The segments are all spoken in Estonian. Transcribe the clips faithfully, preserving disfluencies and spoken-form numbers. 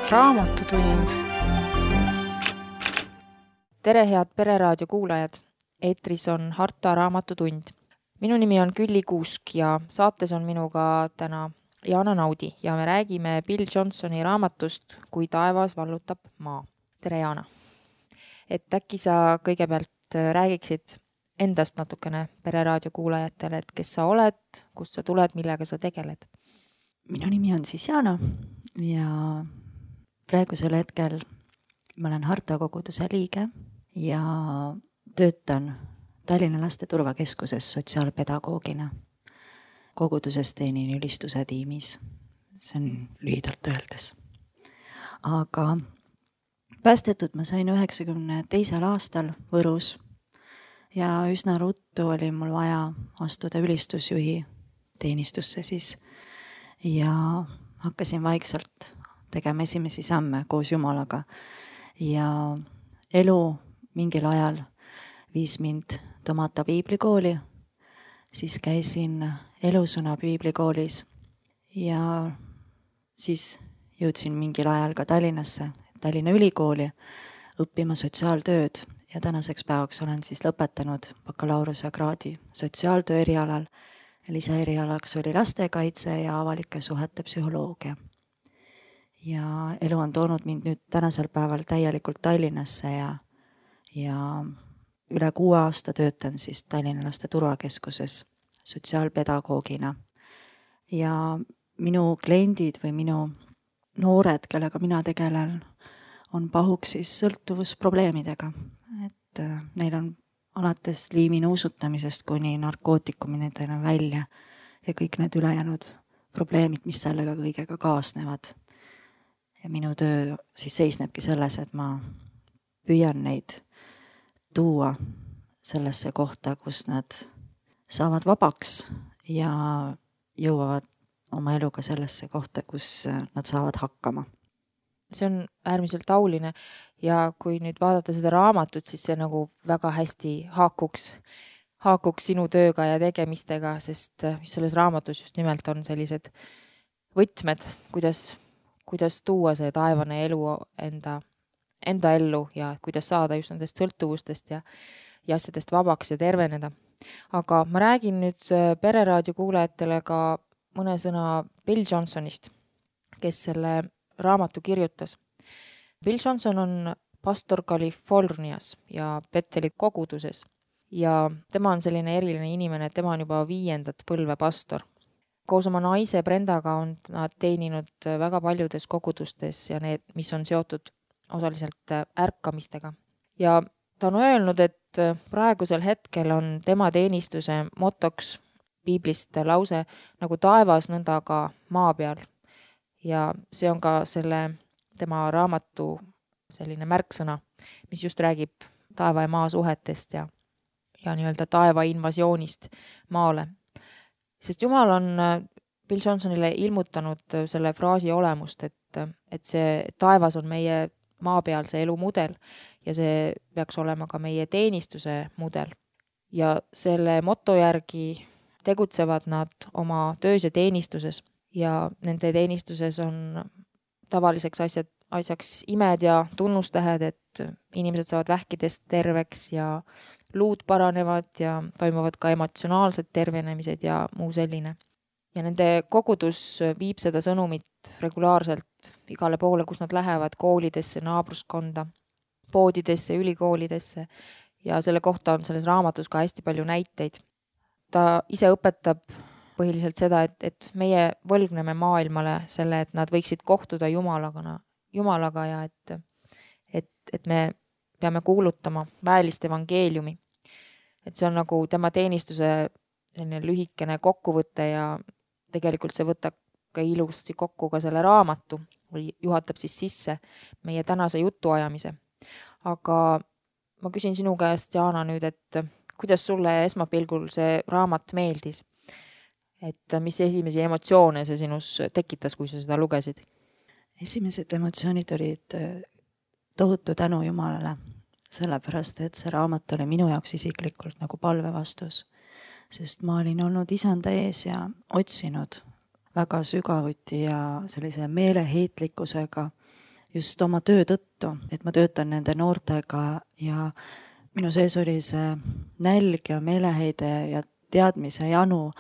Raamatutund. Tere, head Pereraadio kuulajad! Eetris on Harta Raamatutund. Minu nimi on Külli Kuusk ja saates on minuga täna Jaana Naudi ja me räägime Bill Johnsoni raamatust Kui taevas vallutab maa. Tere, Jaana! Et äkki sa kõigepealt räägiksid endast natukene Pereraadio kuulajatele, et kes sa oled, kust sa tuled, millega sa tegeled? Minu nimi on siis Jaana ja praegusel hetkel ma olen Harta koguduse liige ja töötan Tallinna Laste Turvakeskuses sotsiaalpedagoogina. Koguduses teenin ülistuse tiimis. See on lühidalt öeldes. Aga päästetud ma sain üheksakümne teisel aastal Võrus ja üsna ruttu oli mul vaja astuda ülistusjuhi teenistusse siis ja hakkasin vaikselt tegema esimesi samme koos Jumalaga. Ja elu mingil ajal viis mind Tomata piiblikooli, siis käisin Elusõna piiblikoolis ja siis jõudsin mingil ajal ka Tallinnasse, Tallinna Ülikooli õppima sotsiaaltööd ja tänaseks päevaks olen siis lõpetanud bakalaureuse kraadi sotsiaaltöö erialal. Lisaerialaks oli lastekaitse ja avalike suhete psühholoogia. Ja elu on toonud mind nüüd tänasel päeval täielikult Tallinnasse ja, ja üle kuue aasta töötan siis Tallinna Laste Turvakeskuses sotsiaalpedagoogina. Ja minu kliendid või minu noored, kellega mina tegelen, on pahuks siis sõltuvusprobleemidega. Et neil on alates liiminuusutamisest kuni narkootikumidena välja ja kõik need ülejäänud probleemid, mis sellega kõigega kaasnevad. Ja minu töö siis seisnebki selles, et ma püüan neid tuua sellesse kohta, kus nad saavad vabaks ja jõuavad oma eluga sellesse kohta, kus nad saavad hakkama. See on äärmiselt tauline ja kui nüüd vaadata seda raamatut, siis see nagu väga hästi haakuks, haakuks sinu tööga ja tegemistega, sest selles raamatus just nimelt on sellised võtmed, kuidas, kuidas tuua see taevane elu enda, enda ellu ja kuidas saada just nendest sõltuvustest ja, ja asjadest vabaks ja terveneda. Aga ma räägin nüüd Pereraadio kuulajatele ka mõne sõna Bill Johnsonist, kes selle raamatu kirjutas. Bill Johnson on pastor Californias ja Betheli koguduses ja tema on selline eriline inimene, et tema on juba viiendat põlve pastor. Koos oma naise Brendaga on nad teeninud väga paljudes kogudustes ja need, mis on seotud osaliselt ärkamistega. Ja ta on öelnud, et praegusel hetkel on tema teenistuse motoks piiblist lause nagu taevas nõnda ka maa peal. Ja see on ka selle tema raamatu selline märksõna, mis just räägib taeva ja maa suhetest ja, ja nii-öelda taeva invasioonist maale. Sest Jumal on Bill Johnsonile ilmutanud selle fraasi olemust, et, et see taevas on meie maa peal see elumudel ja see peaks olema ka meie teenistuse mudel. Ja selle moto järgi tegutsevad nad oma töös ja teenistuses. Ja nende teenistuses on tavaliseks asjad, asjaks imed ja tunnustähed, et inimesed saavad vähkidest terveks ja luud paranevad ja toimuvad ka emotsionaalsed tervenemised ja muu selline. Ja nende kogudus viib seda sõnumit regulaarselt igale poole, kus nad lähevad, koolidesse, naabruskonda, poodidesse, ülikoolidesse ja selle kohta on selles raamatus ka hästi palju näiteid. Ta ise õpetab põhiliselt seda, et, et meie võlgneme maailmale selle, et nad võiksid kohtuda Jumalaga, Jumalaga ja et, et, et me peame kuulutama väelist evangeeliumi. Et see on nagu tema teenistuse selline lühikene kokkuvõte ja tegelikult see võtab ka ilusti kokku ka selle raamatu või juhatab siis sisse meie tänase jutuajamise. Aga ma küsin sinu käest, Jaana, nüüd, et kuidas sulle esmapilgul see raamat meeldis? Et mis esimesi emotsioone see sinus tekitas, kui sa seda lugesid? Esimesed emotsioonid olid tohutu tänu Jumalale, sellepärast, et see raamat oli minu jaoks isiklikult nagu palvevastus, sest ma olin olnud isanda ees ja otsinud väga sügavuti ja sellise meeleheitlikkusega just oma töö tõttu, et ma töötan nende noortega ja minu sees oli see nälg ja meeleheide ja teadmise janu,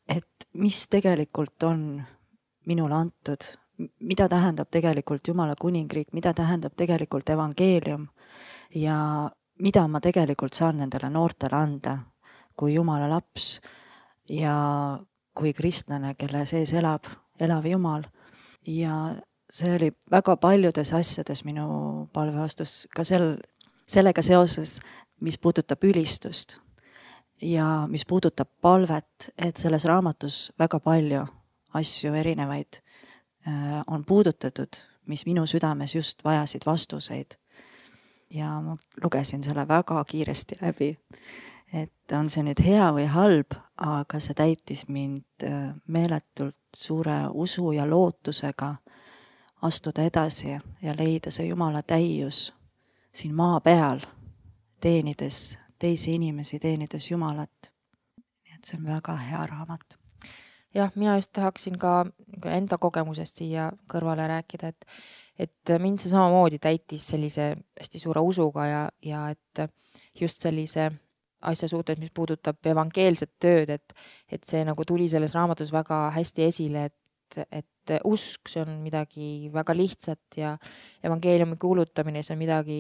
et mis tegelikult on minule antud, mida tähendab tegelikult Jumala kuningriik, mida tähendab tegelikult evangeelium ja mida ma tegelikult saan nendele noortele anda kui Jumala laps ja kui kristlane, kelle sees elab, elav Jumal. Ja see oli väga paljudes asjades minu palvevastus, ka sel, sellega seoses, mis puudutab ülistust ja mis puudutab palvet, et selles raamatus väga palju asju erinevaid äh, on puudutatud, mis minu südames just vajasid vastuseid. Ja ma lugesin selle väga kiiresti läbi, et on see nüüd hea või halb, aga see täitis mind äh, meeletult suure usu ja lootusega astuda edasi ja leida see Jumala täius siin maa peal, teenides teisi inimesi, teenides Jumalat. Nii et see on väga hea raamat. Jah, mina just tahaksin ka enda kogemusest siia kõrvale rääkida, et, et mind see samamoodi täitis sellise hästi suure usuga ja, ja et just sellise asja suhtes, mis puudutab evangeelset tööd, et, et see nagu tuli selles raamatus väga hästi esile, et, et usk, see on midagi väga lihtsat ja evangeeliumi kuulutamine, see on midagi,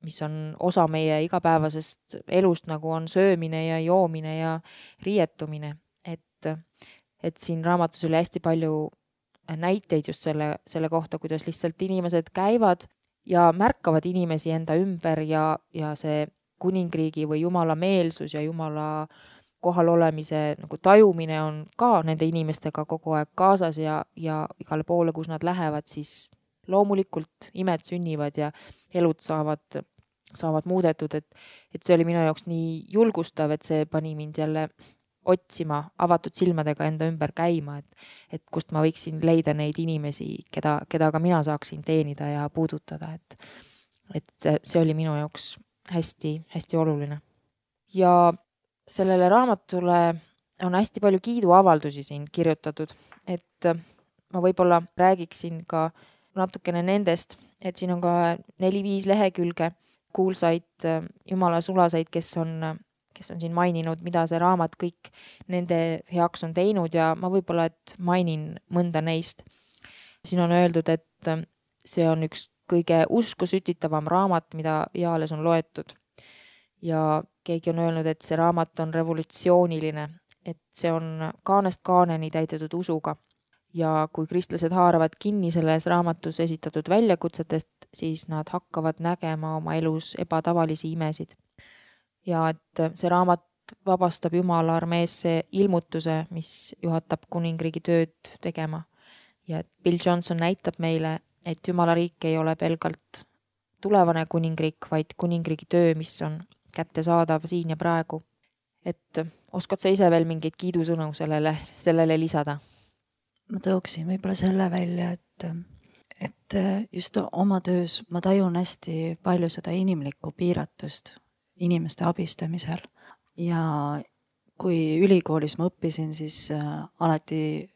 mis on osa meie igapäevasest elust, nagu on söömine ja joomine ja riietumine. Et, et siin raamatus oli hästi palju näiteid just selle, selle kohta, kuidas lihtsalt inimesed käivad ja märkavad inimesi enda ümber ja, ja see kuningriigi või Jumala meelsus ja Jumala kohal olemise nagu tajumine on ka nende inimestega kogu aeg kaasas ja, ja igale poole, kus nad lähevad, siis loomulikult imed sünnivad ja elud saavad, saavad muudetud, et, et see oli minu jaoks nii julgustav, et see pani mind jälle otsima avatud silmadega enda ümber käima, et, et kust ma võiksin leida neid inimesi, keda, keda ka mina saaksin teenida ja puudutada, et, et see oli minu jaoks hästi, hästi oluline. Ja sellele raamatule on hästi palju kiiduavaldusi siin kirjutatud, et ma võib-olla räägiksin ka natukene nendest, et siin on ka neli-viis lehekülge kuulsaid Jumala sulaseid, kes on, kes on siin maininud, mida see raamat kõik nende heaks on teinud ja ma võib-olla, et mainin mõnda neist. Siin on öeldud, et see on üks kõige usku sütitavam raamat, mida eales on loetud. Ja keegi on öelnud, et see raamat on revolutsiooniline, et see on kaanest kaaneni täidetud usuga. Ja kui kristlased haaravad kinni selles raamatus esitatud väljakutsetest, siis nad hakkavad nägema oma elus ebatavalisi imesid. Ja et see raamat vabastab Jumala armeesse ilmutuse, mis juhatab kuningriigi tööd tegema. Ja et Bill Johnson näitab meile, et Jumala riik ei ole pelgalt tulevane kuningriik, vaid kuningriigi töö, mis on kättesaadav siin ja praegu. Et oskad sa ise veel mingeid kiidusõnu sellele, sellele lisada? Ma tõuksin võib-olla selle välja, et, et just oma töös ma tajun hästi palju seda inimlikku piiratust inimeste abistamisel. Ja kui ülikoolis ma õppisin, siis alati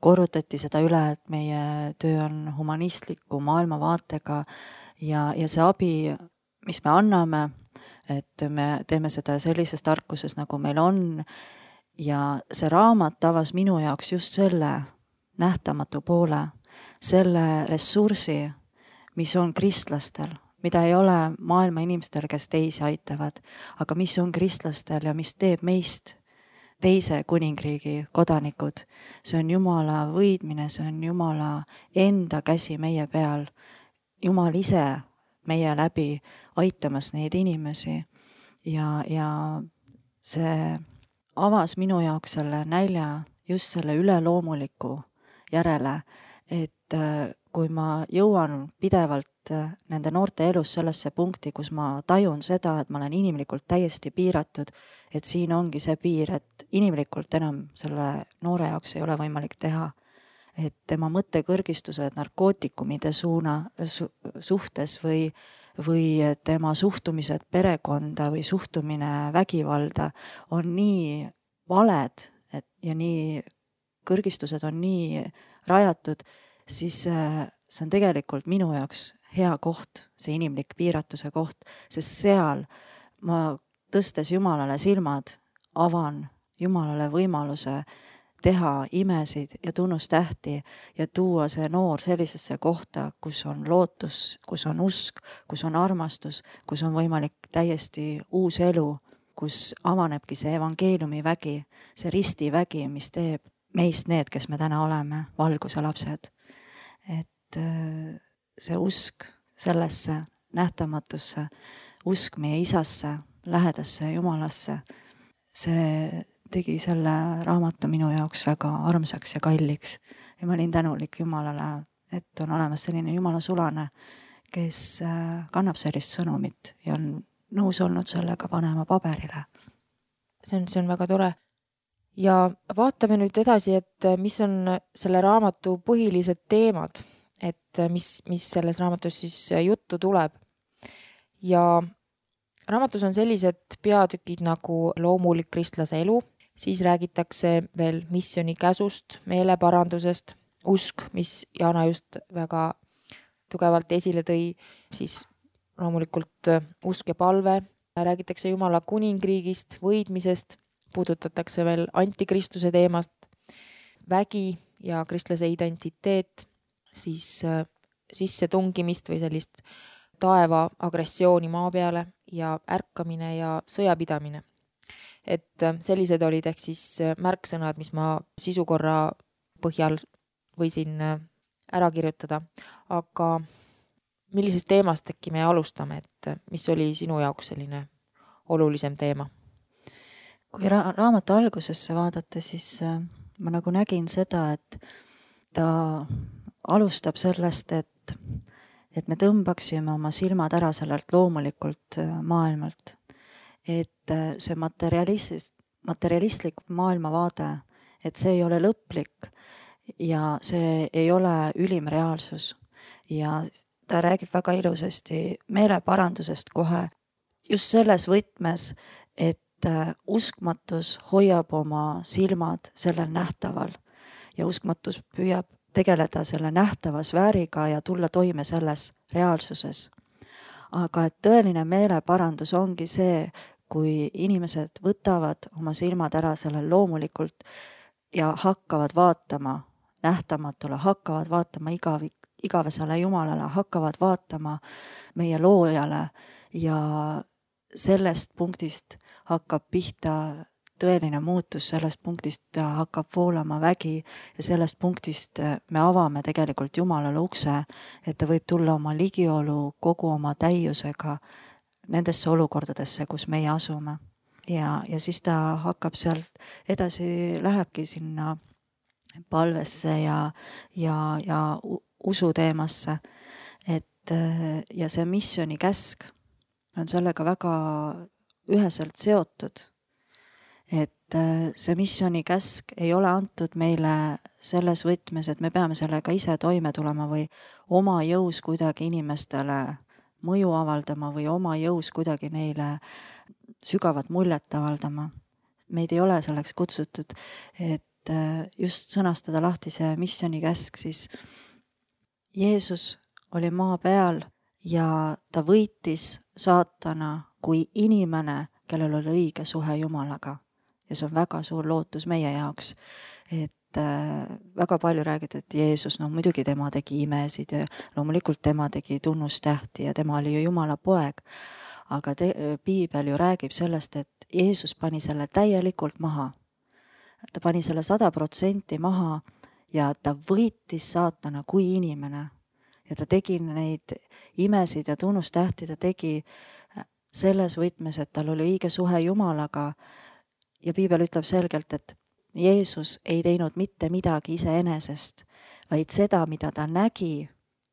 korrutati seda üle, et meie töö on humanistliku maailmavaatega ja, ja see abi, mis me anname, et me teeme seda sellises tarkuses, nagu meil on. Ja see raamat avas minu jaoks just selle nähtamatu poole, selle ressursi, mis on kristlastel, mida ei ole maailma inimestel, kes teisi aitavad, aga mis on kristlastel ja mis teeb meist teise kuningriigi kodanikud. See on Jumala võidmine, see on Jumala enda käsi meie peal. Jumal ise meie läbi aitamas neid inimesi ja, ja see avas minu jaoks selle nälja just selle üleloomuliku järele, et kui ma jõuan pidevalt nende noorte elus sellesse punkti, kus ma tajun seda, et ma olen inimlikult täiesti piiratud, et siin ongi see piir, et inimlikult enam selle noore jaoks ei ole võimalik teha. Et tema mõttekõrgistused narkootikumide suuna, su, suhtes või, või tema suhtumised perekonda või suhtumine vägivalda on nii valed et, ja nii kõrgistused on nii rajatud, siis see on tegelikult minu jaoks hea koht, see inimlik piiratuse koht, sest seal ma tõstes Jumalale silmad, avan Jumalale võimaluse teha imesid ja tunnustähti ja tuua see noor sellisesse kohta, kus on lootus, kus on usk, kus on armastus, kus on võimalik täiesti uus elu, kus avanebki see evangeeliumi vägi, see ristivägi, mis teeb meist need, kes me täna oleme, valguse lapsed. Et see usk sellesse nähtamatusse, usk meie isasse, lähedasse Jumalasse, see tegi selle raamatu minu jaoks väga armsaks ja kalliks. Ja ma olin tänulik Jumalale, et on olemas selline Jumala sulane, kes kannab sellist sõnumit ja on nõus olnud sellega panema paberile. See on, see on väga tore. Ja vaatame nüüd edasi, et mis on selle raamatu põhilised teemad, et mis, mis selles raamatus siis juttu tuleb. Ja raamatus on sellised peatükid nagu loomulik kristlase elu, siis räägitakse veel missiooni käsust, meeleparandusest, usk, mis Jana just väga tugevalt esile tõi, siis loomulikult usk ja palve, räägitakse Jumala kuningriigist, võidmisest, puudutatakse veel antikristuse teemast, vägi ja kristlase identiteet, siis sissetungimist või sellist taeva agressiooni maa peale ja ärkamine ja sõjapidamine. Et sellised olid ehk siis märksõnad, mis ma sisukorra põhjal võisin ära kirjutada. Aga millisest teemast äkki me alustame, et mis oli sinu jaoks selline olulisem teema? Kui ra- raamatu algusesse vaadata, siis ma nagu nägin seda, et ta alustab sellest, et, et me tõmbaksime oma silmad ära sellelt loomulikult maailmalt. Et see materialist, materialistlik maailmavaade, et see ei ole lõplik ja see ei ole ülim reaalsus. Ja ta räägib väga ilusasti meeleparandusest kohe just selles võtmes, et uskmatus hoiab oma silmad sellel nähtaval ja uskmatus püüab tegeleda selle nähtava sfääriga ja tulla toime selles reaalsuses. Aga et tõeline meeleparandus ongi see, kui inimesed võtavad oma silmad ära sellel loomulikult ja hakkavad vaatama nähtamatule, hakkavad vaatama igavik, igavesele Jumalale, hakkavad vaatama meie loojale ja sellest punktist hakkab pihta tõeline muutus, sellest punktist hakkab voolama vägi ja sellest punktist me avame tegelikult Jumalale ukse, et ta võib tulla oma ligiolu kogu oma täiusega nendesse olukordadesse, kus meie asume. Ja, ja siis ta hakkab sealt edasi, lähebki sinna palvesse ja, ja, ja usu teemasse. Et, ja see missiooni käsk on sellega väga üheselt seotud. Et see missiooni käsk ei ole antud meile selles võtmes, et me peame sellega ise toime tulema või oma jõus kuidagi inimestele mõju avaldama või oma jõus kuidagi neile sügavat muljet avaldama. Meid ei ole selleks kutsutud, et just sõnastada lahti see missiooni käsk, siis Jeesus oli maa peal ja ta võitis saatana kui inimene, kellel oli õige suhe Jumalaga. Ja see on väga suur lootus meie jaoks, et väga palju räägid, et Jeesus, no muidugi tema tegi imesid ja loomulikult tema tegi tunnustähti ja tema oli ju Jumala poeg. Aga te, Piibel ju räägib sellest, et Jeesus pani selle täielikult maha. Ta pani selle sada protsenti maha ja ta võitis saatana kui inimene. Ja ta tegi neid imesid ja tunnustähti, ta tegi selles võtmes, et tal oli õige suhe Jumalaga ja Piibel ütleb selgelt, et Jeesus ei teinud mitte midagi iseenesest, vaid seda, mida ta nägi,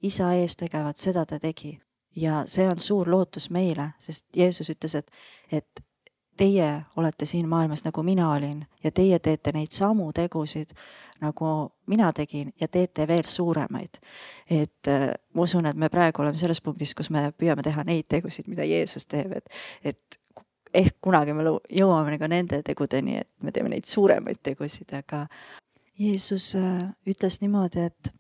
isa ees tegevat, seda ta tegi. Ja see on suur lootus meile, sest Jeesus ütles, et, et teie olete siin maailmas nagu mina olin ja teie teete neid samu tegusid, nagu mina tegin ja teete veel suuremaid. Et ma usun, et me praegu oleme selles punktis, kus me püüame teha neid tegusid, mida Jeesus teeb, et, et ehk kunagi me jõuame ka nende tegudeni, et me teeme neid suuremaid tegusid, aga Jeesus ütles niimoodi, et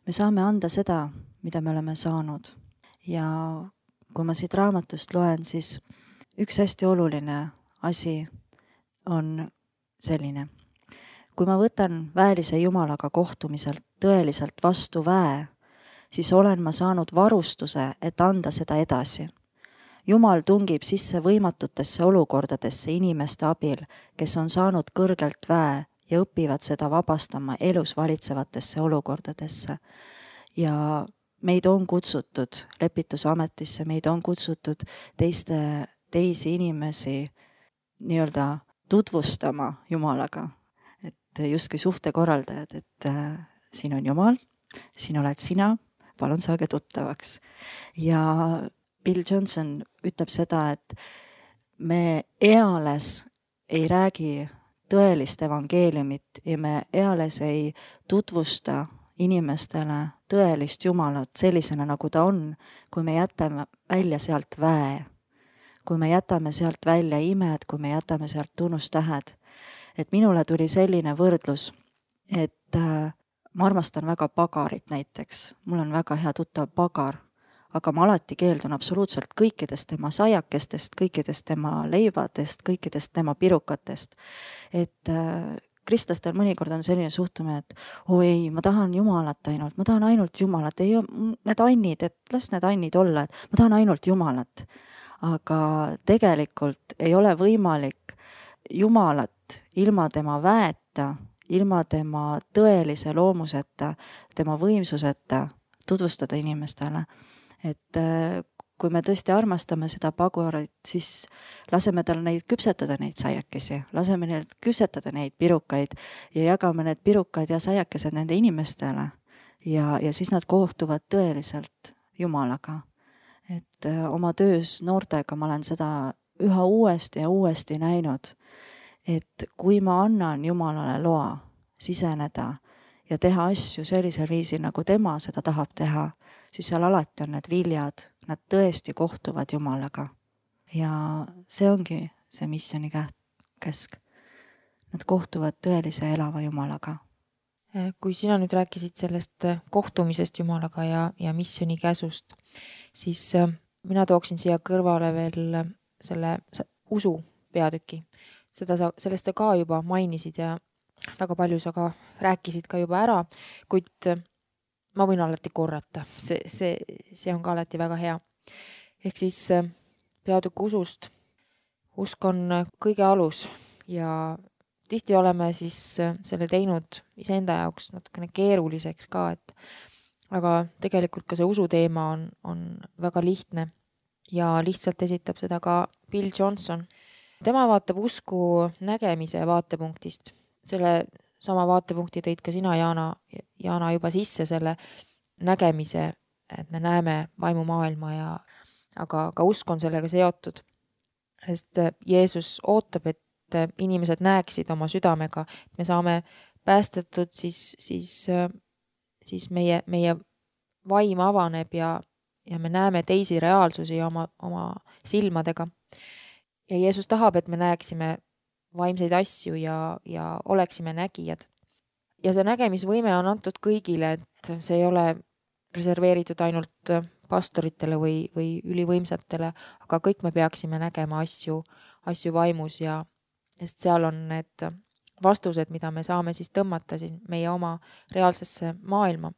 me saame anda seda, mida me oleme saanud. Ja kui ma siit raamatust loen, siis üks hästi oluline asi on selline. Kui ma võtan väelise Jumalaga kohtumiselt tõeliselt vastu väe, siis olen ma saanud varustuse, et anda seda edasi. Jumal tungib sisse võimatutesse olukordadesse inimeste abil, kes on saanud kõrgelt väe ja õpivad seda vabastama elus valitsevatesse olukordadesse. Ja meid on kutsutud lepitusametisse, meid on kutsutud teiste, teisi inimesi nii-öelda tutvustama Jumalaga. Et justkui suhtekorraldajad, et äh, siin on Jumal, siin oled sina, palun saage tuttavaks. Ja Bill Johnson ütleb seda, et me eales ei räägi tõelist evangeeliumit ja me eales ei tutvusta inimestele tõelist Jumalat sellisena, nagu ta on, kui me jätame välja sealt väe, kui me jätame sealt välja imed, kui me jätame sealt tunnustähed. Et minule tuli selline võrdlus, et äh, ma armastan väga pagarit näiteks, mul on väga hea tuttav pagar, aga ma alati keeldun absoluutselt kõikidest tema saiakestest, kõikidest tema leivadest, kõikidest tema pirukatest. Et äh, kristlastel mõnikord on selline suhtumine, et oo ei, ma tahan Jumalat ainult, ma tahan ainult Jumalat, ei need annid, et las need annid olla, et ma tahan ainult Jumalat. Aga tegelikult ei ole võimalik Jumalat ilma tema väeta, ilma tema tõelise loomuseta, tema võimsuseta tutvustada inimestele. Et kui me tõesti armastame seda pagurit, siis laseme tal neid küpsetada neid saiakesi, laseme neil küpsetada neid pirukaid ja jagame need pirukad ja saiakesed nende inimestele. Ja, ja siis nad kohtuvad tõeliselt Jumalaga. Et oma töös noortega ma olen seda üha uuesti ja uuesti näinud, et kui ma annan Jumalale loa siseneda ja teha asju sellisel viisil, nagu tema seda tahab teha, siis seal alati on need viljad, nad tõesti kohtuvad Jumalaga. Ja see ongi see missiooni käsk. Nad kohtuvad tõelise elava Jumalaga. Kui sina nüüd rääkisid sellest kohtumisest Jumalaga ja, ja missiooni käsust, siis mina tooksin siia kõrvale veel selle usu peatüki. Seda sa, sellest sa ka juba mainisid ja väga palju sa ka rääkisid ka juba ära, kuid ma võin alati korrata. See, see, see on ka alati väga hea. Ehk siis peatükk usust. Usk on kõige alus ja tihti oleme siis selle teinud iseenda jaoks natukene keeruliseks ka, et aga tegelikult ka see usuteema on, on väga lihtne ja lihtsalt esitab seda ka Bill Johnson. Tema vaatab usku nägemise vaatepunktist. Selle sama vaatepunkti tõid ka sina, Jaana, Jaana juba sisse selle nägemise, et me näeme vaimumaailma ja aga ka usk on sellega seotud. Sest Jeesus ootab, et inimesed näeksid oma südamega, et me saame päästetud, siis, siis, siis meie, meie vaim avaneb ja, ja me näeme teisi reaalsusi oma, oma silmadega. Ja Jeesus tahab, et me näeksime vaimseid asju ja, ja oleksime nägijad. Ja see nägemisvõime on antud kõigile, et see ei ole reserveeritud ainult pastoritele või, või ülivõimsatele, aga kõik me peaksime nägema asju, asju vaimus ja sest seal on need vastused, mida me saame siis tõmmata siin meie oma reaalsesse maailma.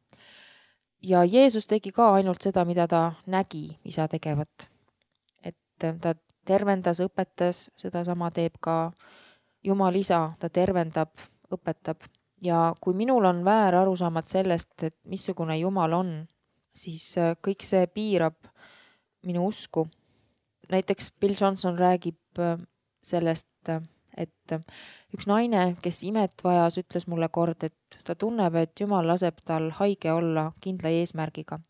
Ja Jeesus tegi ka ainult seda, mida ta nägi isa tegevat. Et ta tervendas, õpetas, seda sama teeb ka Jumal isa, ta tervendab, õpetab. Ja kui minul on väär arusaamad sellest, et missugune Jumal on, siis kõik see piirab minu usku. Näiteks Bill Johnson räägib sellest, et üks naine, kes imet vajas, ütles mulle kord, et ta tunneb, et Jumal laseb tal haige olla kindla eesmärgiga.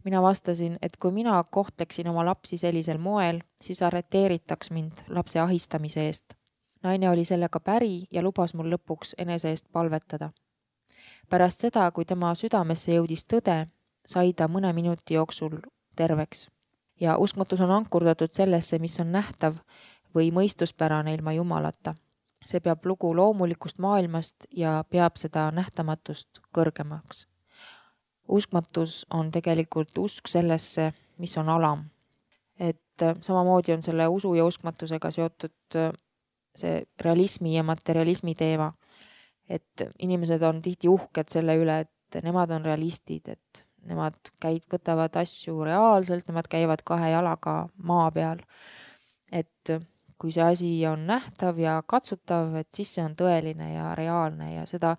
Mina vastasin, et kui mina kohtleksin oma lapsi sellisel moel, siis arreteeritaks mind lapse ahistamise eest. Naine oli sellega päri ja lubas mul lõpuks enese eest palvetada. Pärast seda, kui tema südamesse jõudis tõde, sai ta mõne minuti jooksul terveks. Ja uskmatus on ankurdatud sellesse, mis on nähtav või mõistuspärane ilma Jumalata. See peab lugu loomulikust maailmast ja peab seda nähtamatust kõrgemaks. uskmatus on tegelikult usk sellesse, mis on alam. Et samamoodi on selle usu ja uskmatusega seotud see realismi ja materialismi teema. Et inimesed on tihti uhked selle üle, et nemad on realistid, et nemad käid, võtavad asju reaalselt, nemad käivad kahe jalaga maa peal. Et kui see asi on nähtav ja katsutav, et siis see on tõeline ja reaalne ja seda,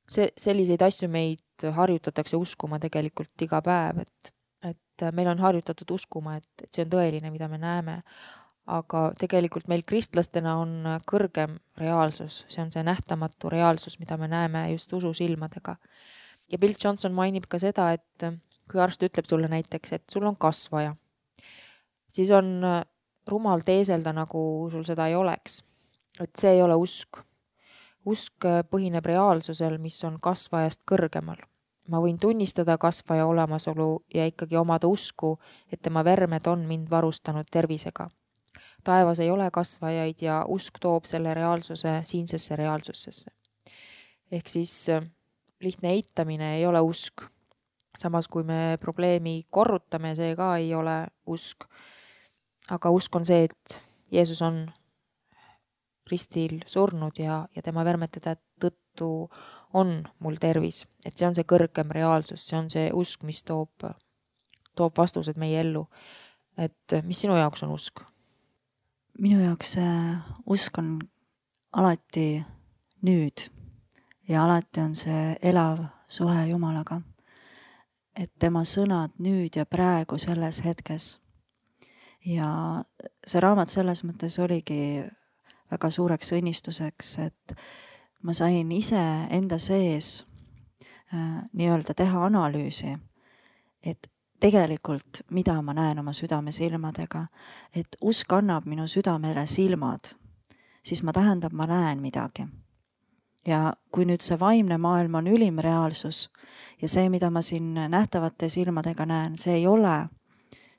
see, selliseid asju meid harjutatakse uskuma tegelikult iga päev, et, et meil on harjutatud uskuma, et, et see on tõeline, mida me näeme. Aga tegelikult meil kristlastena on kõrgem reaalsus, see on see nähtamatu reaalsus, mida me näeme just usu silmadega. Ja Bill Johnson mainib ka seda, et kui arst ütleb sulle näiteks, et sul on kasvaja, siis on rumal teeselda, nagu sul seda ei oleks. Et see ei ole usk. Usk põhineb reaalsusel, mis on kasvajast kõrgemal. Ma võin tunnistada kasvaja olemasolu ja ikkagi omada usku, et tema vermed on mind varustanud tervisega. Taevas ei ole kasvajaid ja usk toob selle reaalsuse siinsesse reaalsusesse. Ehk siis lihtne eitamine ei ole usk. Samas kui me probleemi korrutame, see ka ei ole usk. Aga usk on see, et Jeesus on ristil surnud ja, ja tema vermete tõttu on mul tervis. Et see on see kõrgem reaalsus, see on see usk, mis toob, toob vastused meie ellu. Et mis sinu jaoks on usk? Minu jaoks usk on alati nüüd ja alati on see elav suhe Jumalaga. Et tema sõnad nüüd ja praegu selles hetkes. Ja see raamat selles mõttes oligi väga suureks õnnistuseks, et ma sain ise enda sees äh, nii-öelda teha analüüsi, et tegelikult mida ma näen oma südame silmadega, et usk annab minu südamele silmad, siis ma tähendab, ma näen midagi. Ja kui nüüd see vaimne maailm on ülim reaalsus ja see, mida ma siin nähtavate silmadega näen, see ei ole,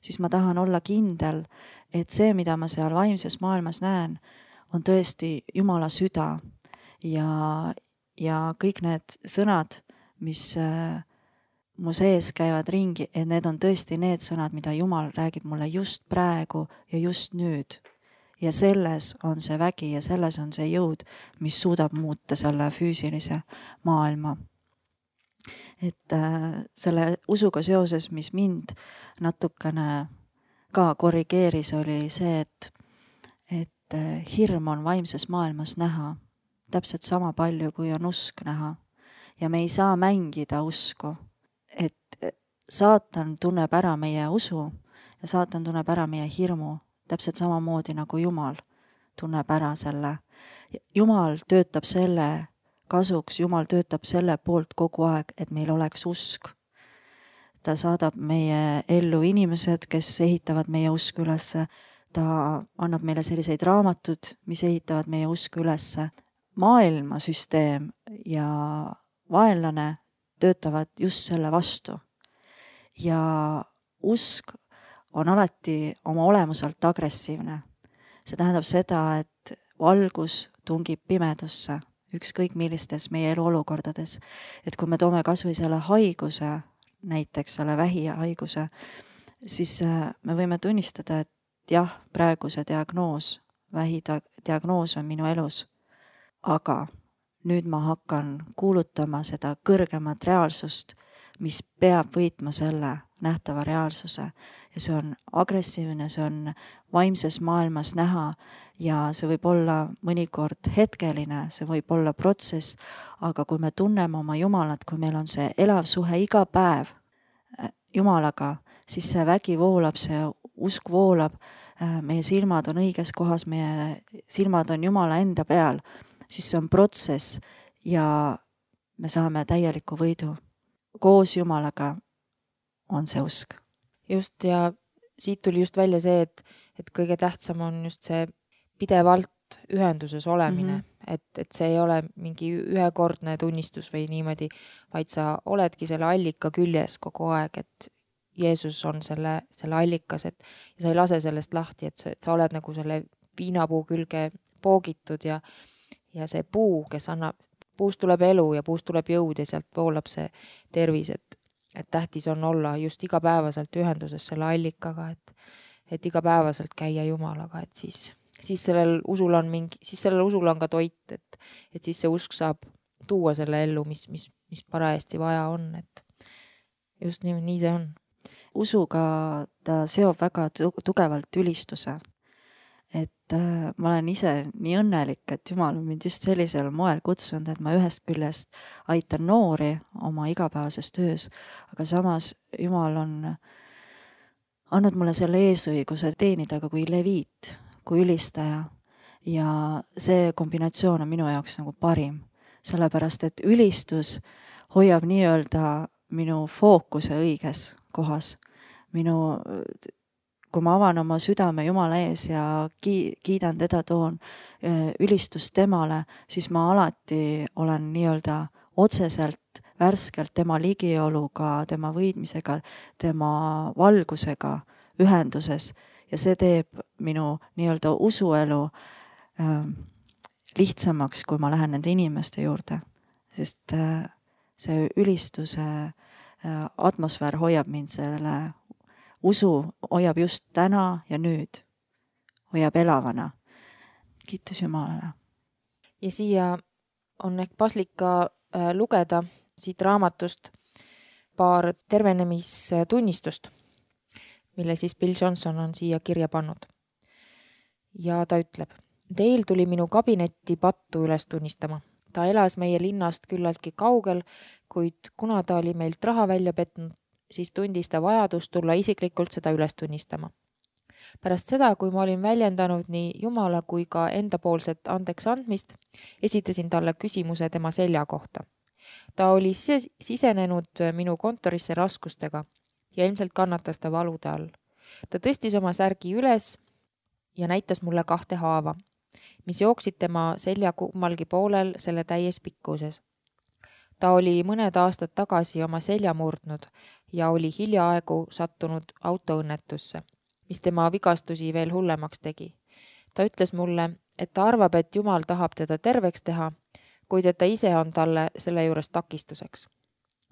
siis ma tahan olla kindel, et see, mida ma seal vaimses maailmas näen, on tõesti Jumala süda ja, ja kõik need sõnad, mis äh, mu sees käivad ringi, et need on tõesti need sõnad, mida Jumal räägib mulle just praegu ja just nüüd. Ja selles on see vägi ja selles on see jõud, mis suudab muuta selle füüsilise maailma. Et äh, selle usuga seoses, mis mind natukene ka korrigeeris, oli see, et, et äh, hirm on vaimses maailmas näha. Täpselt sama palju, kui on usk näha. Ja me ei saa mängida usku. Et saatan tunneb ära meie usu ja saatan tunneb ära meie hirmu. Täpselt samamoodi nagu Jumal tunneb ära selle. Jumal töötab selle kasuks, Jumal töötab selle poolt kogu aeg, et meil oleks usk. Ta saadab meie ellu inimesed, kes ehitavad meie usku ülesse. Ta annab meile selliseid raamatud, mis ehitavad meie usku ülesse. Maailmasüsteem ja vaenlane töötavad just selle vastu. Ja usk on alati oma olemuselt agressiivne. See tähendab seda, et valgus tungib pimedusse, ükskõik millistes meie elu olukordades. Et kui me toome kas või selle haiguse, näiteks selle vähihaiguse, siis me võime tunnistada, et jah, praegu see diagnoos, vähidiagnoos on minu elus. Aga nüüd ma hakkan kuulutama seda kõrgemat reaalsust, mis peab võitma selle nähtava reaalsuse. Ja see on agressiivne, see on vaimses maailmas näha ja see võib olla mõnikord hetkeline, see võib olla protsess, aga kui me tunneme oma Jumalat, kui meil on see elav suhe iga päev Jumalaga, siis see vägi voolab, see usk voolab, meie silmad on õiges kohas, meie silmad on Jumala enda peal, siis see on protsess ja me saame täieliku võidu. Koos Jumalaga on see usk. Just ja siit tuli just välja see, et, et kõige tähtsam on just see pidevalt ühenduses olemine, mm-hmm. et, et see ei ole mingi ühekordne tunnistus või niimoodi, vaid sa oledki selle allika küljes kogu aeg, et Jeesus on selle, selle allikas, et ja sa ei lase sellest lahti, et sa, et sa oled nagu selle viinapuu külge poogitud ja Ja see puu, kes annab, puust tuleb elu ja puust tuleb jõud ja sealt voolab see tervis, et, et tähtis on olla just igapäevaselt ühenduses selle allikaga, et, et igapäevaselt käia Jumalaga, et siis, siis sellel usul on mingi, siis sellel usul on ka toit, et, et siis see usk saab tuua selle ellu, mis, mis, mis parajasti vaja on, et just nii, nii see on. Usuga ta seob väga tugevalt ülistuse. Et äh, ma olen ise nii õnnelik, et Jumal on mind just sellisel moel kutsunud, et ma ühest küljest aitan noori oma igapäevases töös, aga samas Jumal on andnud mulle selle eesõiguse teenida ka kui leviit, kui ülistaja. Ja see kombinatsioon on minu jaoks nagu parim, sellepärast et ülistus hoiab nii-öelda minu fookuse õiges kohas. Minu, kui ma avan oma südame Jumala ees ja kiidan teda, toon ülistust temale, siis ma alati olen nii-öelda otseselt, värskelt tema ligioluga, tema võidmisega, tema valgusega ühenduses ja see teeb minu nii-öelda usuelu äh, lihtsamaks, kui ma lähen nende inimeste juurde, sest äh, see ülistuse äh, atmosfäär hoiab mind selle usu, hoiab just täna ja nüüd, hoiab elavana. Kiitus Jumalale. Ja siia on ehk paslik ka äh, lugeda siit raamatust paar tervenemistunnistust, mille siis Bill Johnson on siia kirja pannud. Ja ta ütleb, Dale tuli minu kabinetti pattu üles tunnistama. Ta elas meie linnast küllaltki kaugel, kuid kuna ta oli meilt raha välja petnud, siis tundis ta vajadust tulla isiklikult seda üles tunnistama. Pärast seda, kui ma olin väljendanud nii Jumala kui ka endapoolset andeks andmist, esitasin talle küsimuse tema selja kohta. Ta oli sisenenud minu kontorisse raskustega ja ilmselt kannatas ta valude all. Ta tõstis oma särgi üles ja näitas mulle kahte haava, mis jooksid tema selja kummalgi poolel selle täies pikkuses. Ta oli mõned aastad tagasi oma selja murdnud ja oli hiljaaegu sattunud autoõnnetusse, mis tema vigastusi veel hullemaks tegi. Ta ütles mulle, et ta arvab, et Jumal tahab teda terveks teha, kuid et ta ise on talle selle juures takistuseks.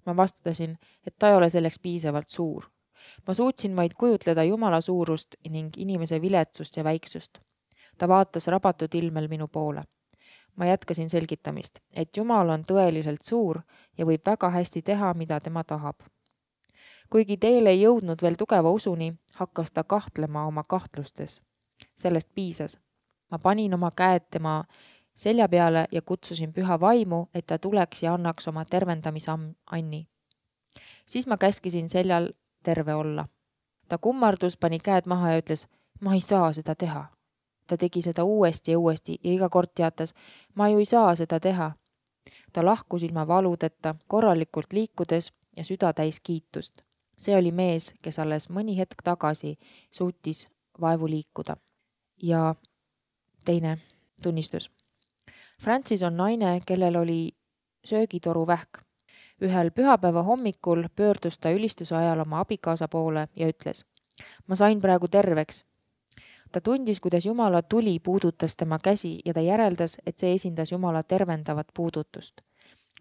Ma vastasin, et ta ei ole selleks piisavalt suur. Ma suutsin vaid kujutleda Jumala suurust ning inimese viletsust ja väiksust. Ta vaatas rabatud ilmel minu poole. Ma jätkasin selgitamist, et Jumal on tõeliselt suur ja võib väga hästi teha, mida tema tahab. Kuigi Dale ei jõudnud veel tugeva usuni, hakkas ta kahtlema oma kahtlustes. Sellest piisas. Ma panin oma käed tema selja peale ja kutsusin püha vaimu, et ta tuleks ja annaks oma tervendamisanni. Siis ma käskisin seljal terve olla. Ta kummardus, pani käed maha ja ütles, ma ei saa seda teha. Ta tegi seda uuesti ja uuesti ja iga kord teatas, ma ju ei saa seda teha. Ta lahkus ilma valudeta, korralikult liikudes ja süda täis kiitust. See oli mees, kes alles mõni hetk tagasi suutis vaevu liikuda. Ja teine tunnistus. Francis on naine, kellel oli söögitoru vähk. Ühel pühapäeva hommikul pöördus ta ülistuse ajal oma abikaasa poole ja ütles, ma sain praegu terveks. Ta tundis, kuidas Jumala tuli puudutas tema käsi ja ta järeldas, et see esindas Jumala tervendavat puudutust.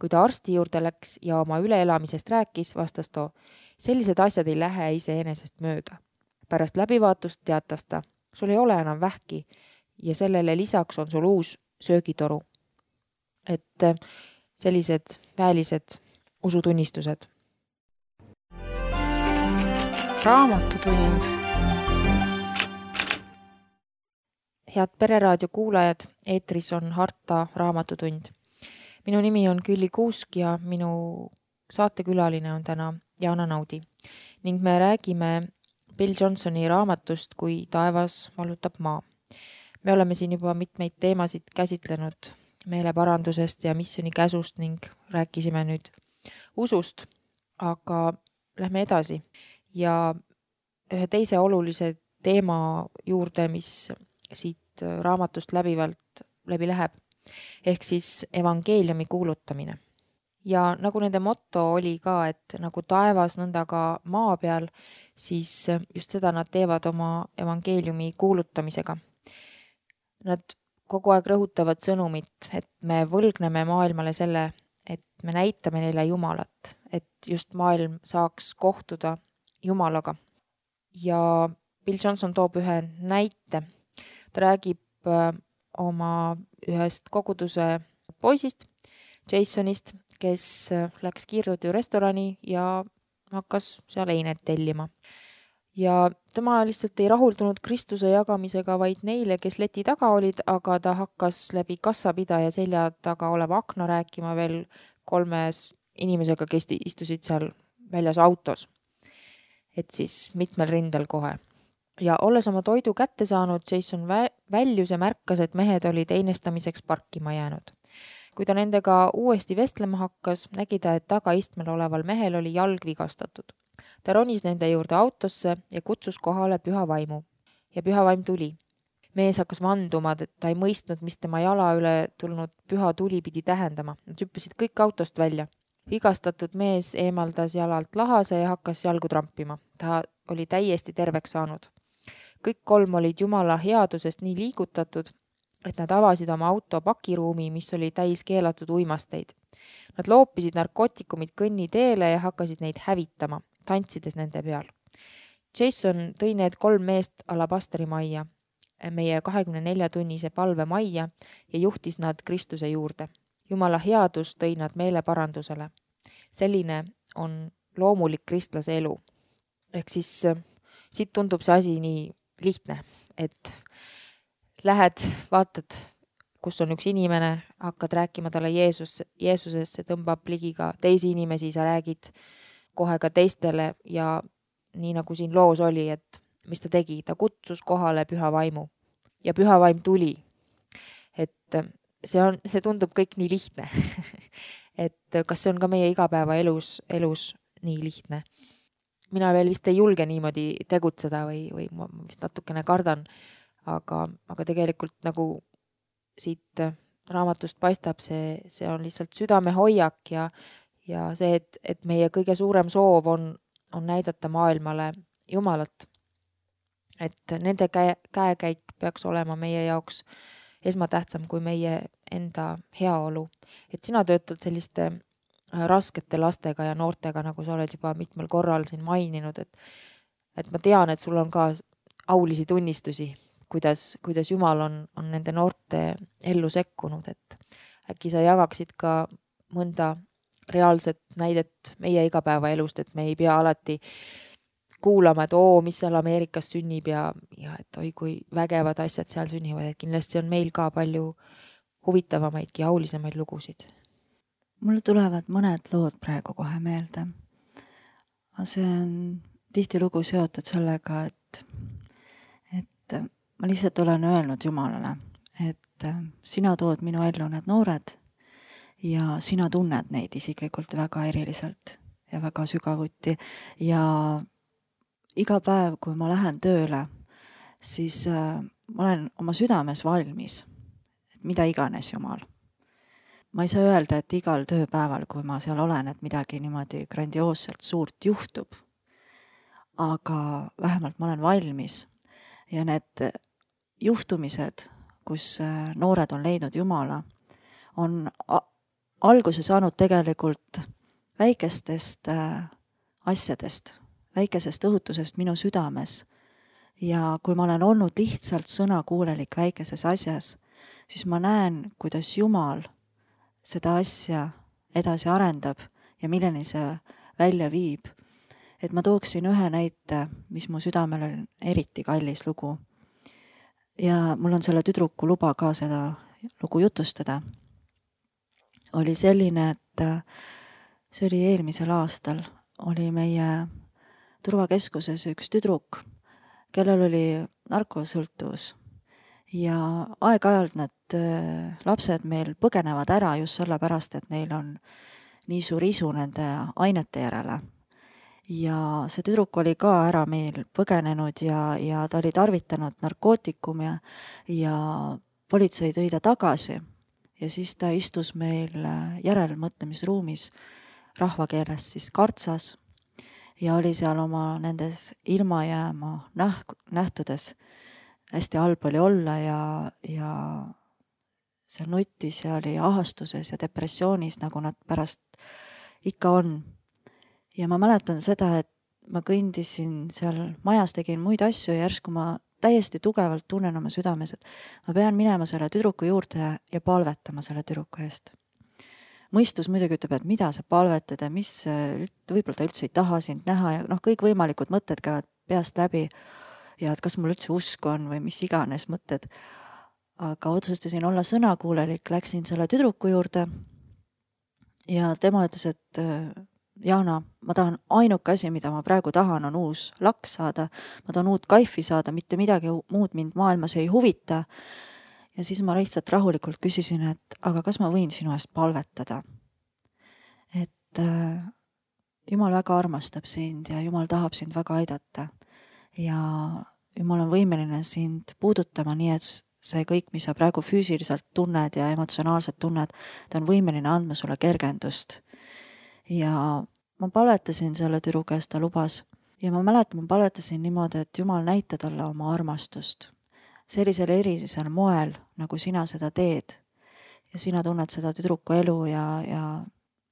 Kui ta arsti juurde läks ja oma üleelamisest rääkis, vastas too, sellised asjad ei lähe iseenesest mööda. Pärast läbivaatust teatas ta, sul ei ole enam vähki ja sellele lisaks on sul uus söögitoru. Et sellised väelised usutunnistused. Raamatutund. Head Pereraadio kuulajad, eetris on Harta raamatutund. Minu nimi on Külli Kuusk ja minu saatekülaline on täna Jaana Naudi. Ning me räägime Bill Johnsoni raamatust Kui taevas vallutab maa. Me oleme siin juba mitmeid teemasid käsitlenud meeleparandusest ja missioni käsust ning rääkisime nüüd usust, aga lähme edasi. Ja ühe teise olulise teema juurde, mis siit raamatust läbivalt läbi läheb, ehk siis evangeeliumi kuulutamine. Ja nagu nende motto oli ka, et nagu taevas nõnda ka maa peal, siis just seda nad teevad oma evangeeliumi kuulutamisega. Nad kogu aeg rõhutavad sõnumit, et me võlgneme maailmale selle, et me näitame neile Jumalat, et just maailm saaks kohtuda Jumalaga. Ja Bill Johnson toob ühe näite. Ta räägib oma ühest koguduse poisist, Jasonist, kes läks kiirtoidu restorani ja hakkas seal einet tellima. Ja tema lihtsalt ei rahuldunud Kristuse jagamisega vaid neile, kes leti taga olid, aga ta hakkas läbi kassapidaja selja taga oleva akna rääkima veel kolmes inimesega, kes istusid seal väljas autos. Et siis mitmel rindel kohe. Ja olles oma toidu kätte saanud, Jason väljus ja märkas, et mehed olid einestamiseks parkima jäänud. Kui ta nendega uuesti vestlema hakkas, nägi ta, et tagaistmel oleval mehel oli jalg vigastatud. Ta ronis nende juurde autosse ja kutsus kohale püha vaimu. Ja püha vaim tuli. Mees hakkas vanduma, et ta ei mõistnud, mis tema jala üle tulnud püha tuli pidi tähendama. Nad hüppasid kõik autost välja. Vigastatud mees eemaldas jalalt lahase ja hakkas jalgu trampima. Ta oli täiesti terveks saanud. Kõik kolm olid Jumala headusest nii liigutatud, et nad avasid oma auto pakiruumi, mis oli täis keelatud uimasteid. Nad loopisid narkootikumid kõnni teele ja hakkasid neid hävitama, tantsides nende peal. Jason tõi need kolm meest alabasteri majja, meie kahekümne nelja tunnise palve majja ja juhtis nad Kristuse juurde. Jumala headus tõi nad meele parandusele. Selline on loomulik kristlase elu. Ehk siis siit tundub see asi nii lihtne, et lähed, vaatad, kus on üks inimene, hakkad rääkima talle Jeesus, Jeesusest, see tõmbab ligi ka teisi inimesi, sa räägid kohe ka teistele ja nii nagu siin loos oli, et mis ta tegi, ta kutsus kohale püha vaimu ja püha vaim tuli. Et see on, see tundub kõik nii lihtne. Et kas see on ka meie igapäeva elus, elus nii lihtne? Mina veel vist ei julge niimoodi tegutseda või, või ma vist natukene kardan, aga, aga tegelikult nagu siit raamatust paistab, see, see on lihtsalt südame hoiak ja, ja see, et, et meie kõige suurem soov on, on näidata maailmale Jumalat. Et nende käe, käekäik peaks olema meie jaoks esmatähtsam kui meie enda heaolu. Et sina töötad selliste raskete lastega ja noortega, nagu sa oled juba mitmel korral siin maininud, et, et ma tean, et sul on ka aulisi tunnistusi, kuidas, kuidas Jumal on, on nende noorte ellu sekkunud, et äkki sa jagaksid ka mõnda reaalset näidet meie igapäeva elust, et me ei pea alati kuulama, et oo, mis seal Ameerikas sünnib ja, ja et oi, kui vägevad asjad seal sünnivad, et kindlasti on meil ka palju huvitavamaid ja aulisemaid lugusid. Mulle tulevad mõned lood praegu kohe meelde. See on tihtilugu seotud sellega, et, et ma lihtsalt olen öelnud Jumalale, et sina tood minu ellu need noored ja sina tunned neid isiklikult väga eriliselt ja väga sügavuti ja iga päev, kui ma lähen tööle, siis ma olen oma südames valmis, et mida iganes Jumal. Ma ei saa öelda, et igal tööpäeval, kui ma seal olen, et midagi niimoodi grandioosselt suurt juhtub, aga vähemalt ma olen valmis ja need juhtumised, kus noored on leidnud Jumala, on alguse saanud tegelikult väikestest asjadest, väikesest õhutusest minu südames ja kui ma olen olnud lihtsalt sõnakuulelik väikeses asjas, siis ma näen, kuidas Jumal seda asja edasi arendab ja milleni see välja viib. Et ma tooksin ühe näite, mis mu südamel on eriti kallis lugu. Ja mul on selle tüdruku luba ka seda lugu jutustada. Oli selline, et see oli eelmisel aastal, oli meie turvakeskuses üks tüdruk, kellel oli narkosõltuvus. Ja aeg-ajalt need lapsed meil põgenevad ära just sellepärast, et neil on nii suur isu nende ainete järele. Ja see tüdruk oli ka ära meil põgenenud ja, ja ta oli tarvitanud narkootikum ja, ja politsei tõi ta tagasi. Ja siis ta istus meil järelmõtlemisruumis rahvakeeles siis kartsas ja oli seal oma nendes ilmajääma näh- nähtudes hästi halb oli olla ja, ja seal nutis ja oli ahastuses ja depressioonis, nagu nad pärast ikka on. Ja ma mäletan seda, et ma kõndisin seal majas, tegin muid asju ja järsku ma täiesti tugevalt tunnen oma südames, et ma pean minema selle tüdruku juurde ja, ja palvetama selle tüdruku eest. Mõistus muidugi ütleb, et mida sa palvetad ja mis, võib-olla ta üldse ei taha sind näha ja noh, kõik võimalikud mõtted käivad peast läbi ja et kas mul üldse usku on või mis iganes mõtted. Aga otsustasin olla sõnakuulelik, läksin selle tüdruku juurde ja tema ütles, et Jaana, ma tahan ainuke asi, mida ma praegu tahan, on uus laks saada, ma tahan uut kaifi saada, mitte midagi muud mind maailmas ei huvita. Ja siis ma lihtsalt rahulikult küsisin, et aga kas ma võin sinu eest palvetada? Et äh, Jumal väga armastab sind ja Jumal tahab sind väga aidata. Ja Jumal on võimeline sind puudutama nii, et see kõik, mis sa praegu füüsiliselt tunned ja emotsionaalselt tunned, ta on võimeline andma sulle kergendust. Ja ma palvetasin selle tüdru käest, ta lubas. Ja ma mäletan, ma palvetasin niimoodi, et Jumal näita talle oma armastust. Sellisel erisel moel, nagu sina seda teed. Ja sina tunned seda tüdruku elu ja, ja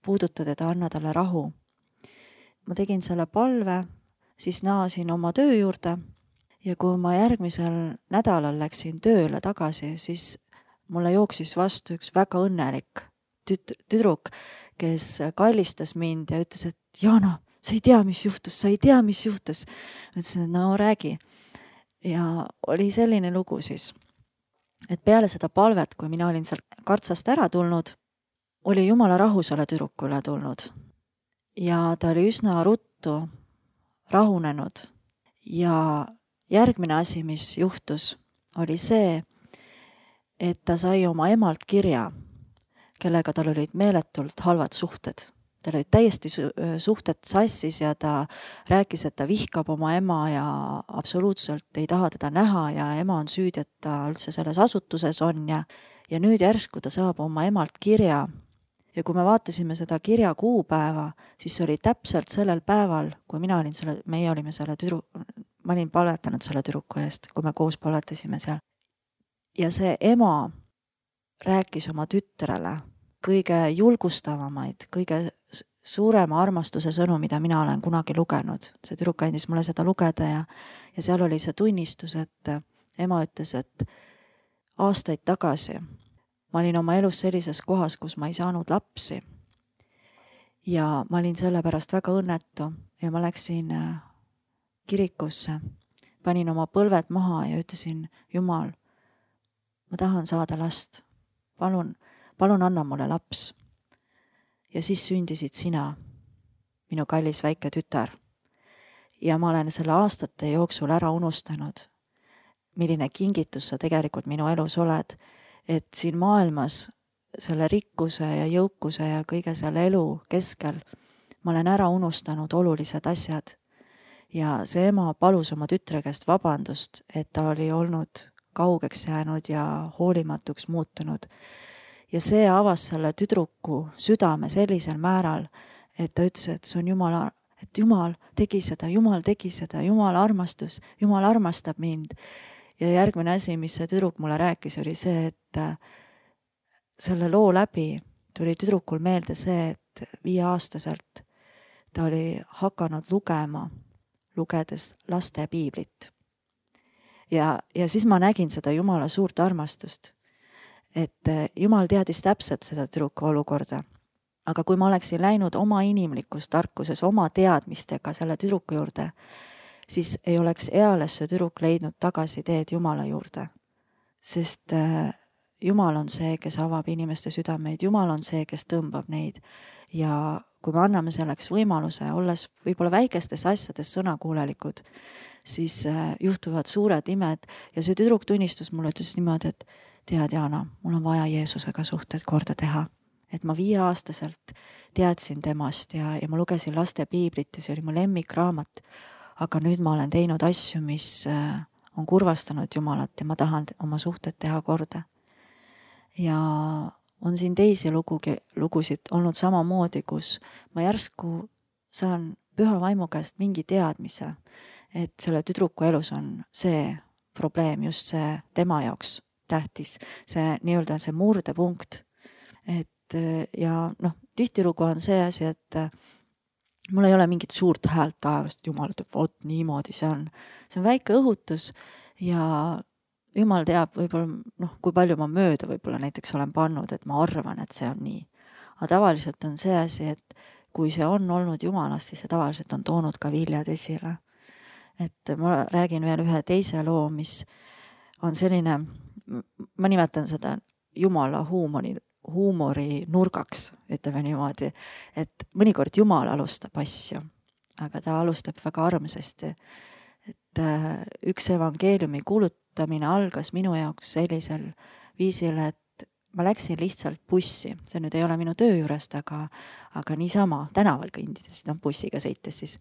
puuduta teda, anna talle rahu. Ma tegin selle palve, siis naasin oma töö juurde ja kui ma järgmisel nädalal läksin tööle tagasi, siis mulle jooksis vastu üks väga õnnelik tüt- tüdruk, kes kallistas mind ja ütles, et Jaana, sa ei tea, mis juhtus, sa ei tea, mis juhtus. Ütlesin, et no räägi. Ja oli selline lugu siis, et peale seda palvet, kui mina olin seal kartsast ära tulnud, oli Jumala rahu selle tüdruku üle tulnud. Ja ta oli üsna ruttu rahunenud. Ja järgmine asi, mis juhtus, oli see, et ta sai oma emalt kirja, kellega tal olid meeletult halvad suhted. Tal olid täiesti suhted sassis ja ta rääkis, et ta vihkab oma ema ja absoluutselt ei taha teda näha ja ema on süüdi, et ta üldse selles asutuses on ja, ja nüüd järsku ta saab oma emalt kirja. Ja kui me vaatasime seda kirja kuupäeva, siis see oli täpselt sellel päeval, kui mina olin selle, meie olime selle tüdru, ma olin palvetanud selle tüdruku eest, kui me koos palvetasime seal. Ja see ema rääkis oma tütrele kõige julgustavamaid, kõige suurema armastuse sõnu, mida mina olen kunagi lugenud. See tüdruk andis mulle seda lugeda ja, ja seal oli see tunnistus, et ema ütles, et aastaid tagasi ma olin oma elus sellises kohas, kus ma ei saanud lapsi. Ja ma olin selle pärast väga õnnetu ja ma läksin kirikusse, panin oma põlved maha ja ütlesin, Jumal, ma tahan saada last. Palun, palun anna mulle laps. Ja siis sündisid sina, minu kallis väike tütar. Ja ma olen selle aastate jooksul ära unustanud, milline kingitus sa tegelikult minu elus oled, et siin maailmas selle rikkuse ja jõukuse ja kõige selle elu keskel ma olen ära unustanud olulised asjad. Ja see ema palus oma tütre käest vabandust, et ta oli olnud kaugeks jäänud ja hoolimatuks muutunud. Ja see avas selle tüdruku südame sellisel määral, et ta ütles, et see on Jumala, et Jumal tegi seda, Jumal tegi seda, Jumal armastus, Jumal armastab mind. Ja järgmine asi, mis see tüdruk mulle rääkis, oli see, et selle loo läbi tuli tüdrukul meelde see, et viieaastaselt ta oli hakanud lugema, lugedes laste piiblit. Ja, ja siis ma nägin seda Jumala suurt armastust, et Jumal teadis täpselt seda tüdruku olukorda. Aga kui ma oleksin läinud oma inimlikus tarkuses, oma teadmistega selle tüdruku juurde, siis ei oleks eales see tüdruk leidnud tagasi teed Jumala juurde. Sest Jumal on see, kes avab inimeste südameid, Jumal on see, kes tõmbab neid. Ja kui me anname selleks võimaluse, olles võib-olla väikestes asjades sõnakuulelikud, siis juhtuvad suured imed. Ja see tüdruk tunnistus mulle ütles niimoodi, et tead, Jaana, mul on vaja Jeesusega suhted korda teha. Et ma viieaastaselt teadsin temast ja, ja ma lugesin laste piiblit ja see oli mu lemmikraamat. Aga nüüd ma olen teinud asju, mis on kurvastanud Jumalat ja ma tahan oma suhted teha korda. Ja on siin teisi lugugi, lugusid olnud samamoodi, kus ma järsku saan püha vaimu käest mingi teadmise, et selle tüdruku elus on see probleem, just see tema jaoks tähtis, see nii-öelda see murdepunkt. Et ja noh, tihtilugu on see asi, et mul ei ole mingit suurt häält taevast, Jumal ütleb, vot niimoodi see on. See on väike õhutus ja Jumal teab võib-olla, noh, kui palju ma mööda võib-olla näiteks olen pannud, et ma arvan, et see on nii. Aga tavaliselt on see asi, et kui see on olnud Jumalast, siis see tavaliselt on toonud ka viljad esile. Et ma räägin veel ühe teise loo, mis on selline, ma nimetan seda Jumala huumori, huumori nurgaks, ütleme niimoodi, et mõnikord Jumal alustab asju, aga ta alustab väga armsasti. Et üks evangeeliumi kuulutamine algas minu jaoks sellisel viisil, et ma läksin lihtsalt bussi. See nüüd ei ole minu töö juurest, aga, aga niisama tänaval kõndides, no bussiga sõites siis.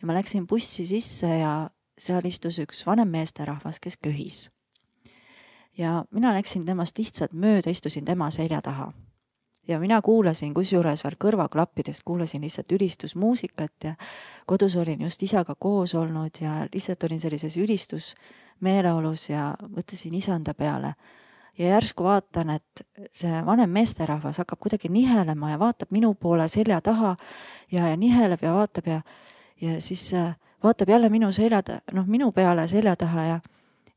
Ja ma läksin bussi sisse ja seal istus üks vanem meesterahvas, kes köhis. Ja mina läksin temast lihtsalt mööda, istusin tema selja taha. Ja mina kuulasin, kusjuures veel kõrvaklappidest, kuulasin lihtsalt ülistusmuusikat ja kodus olin just isaga koos olnud ja lihtsalt olin sellises ülistusmeeleolus ja mõtlesin isanda peale. Ja järsku vaatan, et see vanem meesterahvas hakkab kuidagi nihelema ja vaatab minu poole selja taha ja, ja niheleb ja vaatab ja, ja siis vaatab jälle minu, selja, noh, minu peale selja taha ja,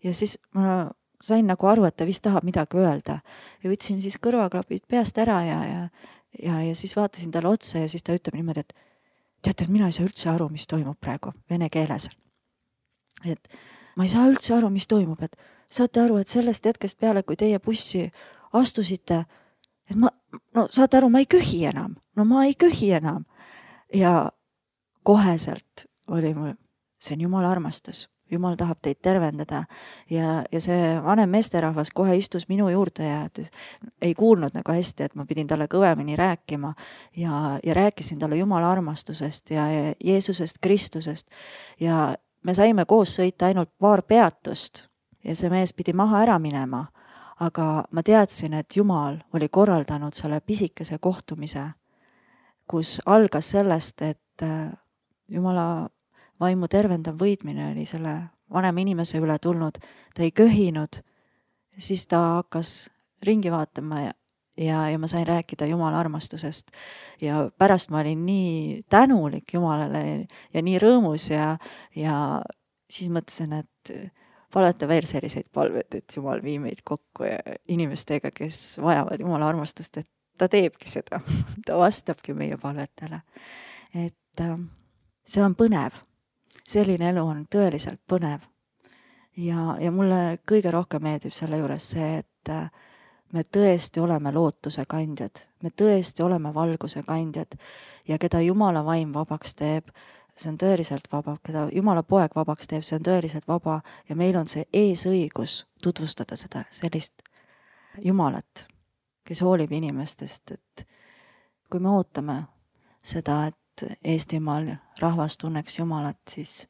ja siis ma sain nagu aru, et ta vist tahab midagi öelda. Ja võtsin siis kõrvaklapid peast ära ja, ja, ja, ja siis vaatasin talle otsa ja siis ta ütleb niimoodi, et teate, et mina ei saa üldse aru, mis toimub praegu vene keeles. Et ma ei saa üldse aru, mis toimub, et saate aru, et sellest hetkest peale, kui teie bussi astusite, et ma, no saate aru, ma ei köhi enam, no ma ei köhi enam. Ja koheselt oli mul, see on Jumala armastus. Jumal tahab teid tervendada ja, ja see vanem meesterahvas kohe istus minu juurde ja ei kuulnud nagu hästi, et ma pidin talle kõvemini rääkima ja, ja rääkisin talle Jumala armastusest ja, ja Jeesusest Kristusest ja me saime koos sõita ainult paar peatust ja see mees pidi maha ära minema, aga ma teadsin, et Jumal oli korraldanud selle pisikese kohtumise, kus algas sellest, et Jumala vaimu tervendav võidmine oli selle vanema inimese üle tulnud, ta ei köhinud, siis ta hakkas ringi vaatama ja, ja, ja ma sain rääkida Jumala armastusest ja pärast ma olin nii tänulik Jumalale ja nii rõõmus ja, ja siis mõtlesin, et paleta veel selliseid palved, et Jumal vii meid kokku ja inimestega, kes vajavad Jumala armastust, et ta teebki seda, ta vastabki meie palvetele. Et see on põnev. Selline elu on tõeliselt põnev ja, ja mulle kõige rohkem meeldib selle juures see, et me tõesti oleme lootuse kandjad, me tõesti oleme valguse kandjad ja keda Jumala vaim vabaks teeb, see on tõeliselt vaba, keda Jumala poeg vabaks teeb, see on tõeliselt vaba ja meil on see eesõigus tutvustada seda sellist Jumalat, kes hoolib inimestest, et kui me ootame seda, et Eestimaal rahvas tunneks Jumalat, siis,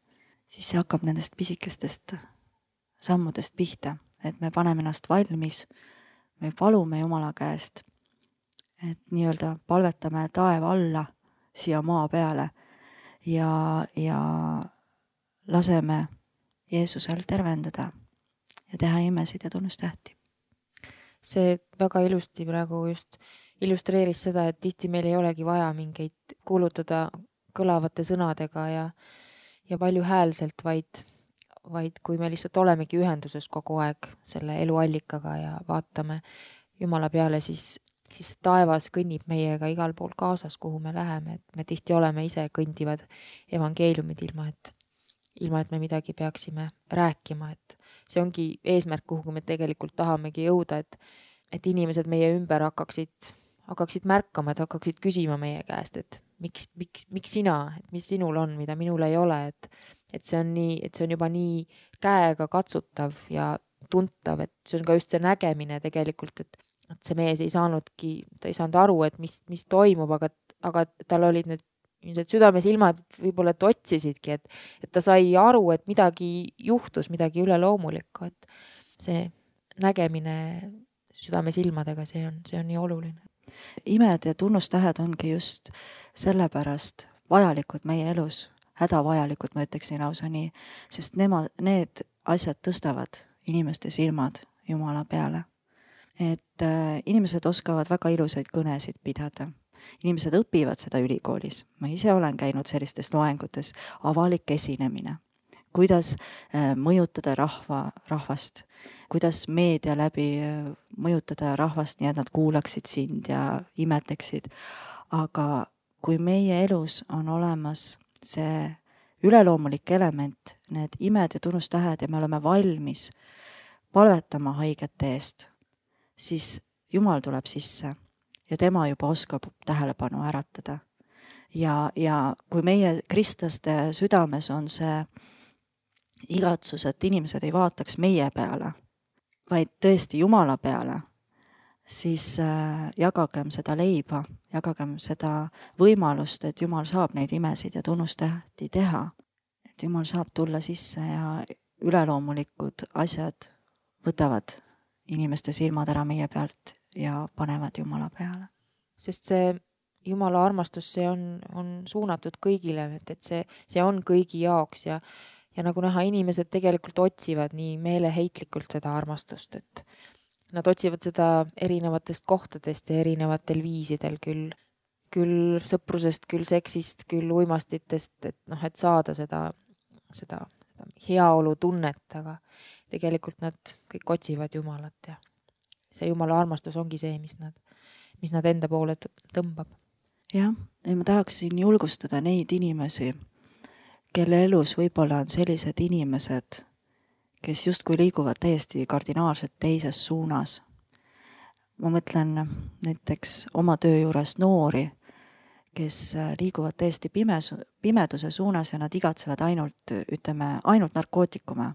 siis see hakkab nendest pisikestest sammudest pihta, et me paneme ennast valmis, me palume Jumala käest, et nii-öelda palvetame taeva alla siia maa peale ja, ja laseme Jeesusel tervendada ja teha imesid ja tunnustähti. See väga ilusti praegu just illustreeris seda, et tihti meil ei olegi vaja mingeid kuulutada kõlavate sõnadega ja, ja palju häälselt, vaid, vaid kui me lihtsalt olemegi ühenduses kogu aeg selle eluallikaga ja vaatame Jumala peale, siis, siis taevas kõnnib meiega igal pool kaasas, kuhu me läheme, et me tihti oleme ise kõndivad evangeeliumid ilma, et, ilma, et me midagi peaksime rääkima, et see ongi eesmärk, kuhu me tegelikult tahamegi jõuda, et, et inimesed meie ümber hakkaksid hakkaksid märkama, et hakkaksid küsima meie käest, et miks, miks, miks sina, et mis sinul on, mida minul ei ole, et, et see on nii, et see on juba nii käega katsutav ja tuntav, et see on ka just see nägemine tegelikult, et, et see mees ei saanudki, ta ei saanud aru, et mis, mis toimub, aga, aga tal olid need, need südamesilmad võib-olla, et otsisidki, et, et ta sai aru, et midagi juhtus, midagi üleloomulikku, et see nägemine südamesilmadega, see on, see on nii oluline. Imed ja tunnustähed ongi just sellepärast vajalikud meie elus, hädavajalikud, ma ütleksin lausa nii, sest nema, need asjad tõstavad inimeste silmad Jumala peale. Et äh, inimesed oskavad väga ilusaid kõnesid pidada. Inimesed õpivad seda ülikoolis. Ma ise olen käinud sellistes loengutes, avalik esinemine. Kuidas äh, mõjutada rahva, rahvast, kuidas meedia läbi äh, mõjutada rahvast nii, et nad kuulaksid sind ja imetleksid. Aga kui meie elus on olemas see üleloomulik element, need imed ja tunnustähed ja me oleme valmis palvetama haigete eest, siis Jumal tuleb sisse ja tema juba oskab tähelepanu äratada. Ja, ja kui meie kristlaste südames on see igatsus, et inimesed ei vaataks meie peale, vaid tõesti Jumala peale, siis äh, jagagem seda leiba, jagagem seda võimalust, et Jumal saab neid imesid ja tunnustähti teha. Et Jumal saab tulla sisse ja üleloomulikud asjad võtavad inimeste silmad ära meie pealt ja panevad Jumala peale. Sest see Jumala armastus, see on, on suunatud kõigile, et, et see, see on kõigi jaoks ja, ja nagu näha, inimesed tegelikult otsivad nii meeleheitlikult seda armastust, et nad otsivad seda erinevatest kohtadest ja erinevatel viisidel, küll, küll sõprusest, küll seksist, küll uimastitest, et noh, et saada seda, seda, seda heaolu tunnet, aga tegelikult nad kõik otsivad Jumalat ja see Jumala armastus ongi see, mis nad, mis nad enda poole tõmbab. Jah, ja ma tahaksin julgustada neid inimesi, kelle elus võib-olla on sellised inimesed, kes justkui liiguvad täiesti kardinaalselt teises suunas. Ma mõtlen näiteks oma töö juures noori, kes liiguvad täiesti pimes, pimeduse suunas ja nad igatsevad ainult, ütleme, ainult narkootikume.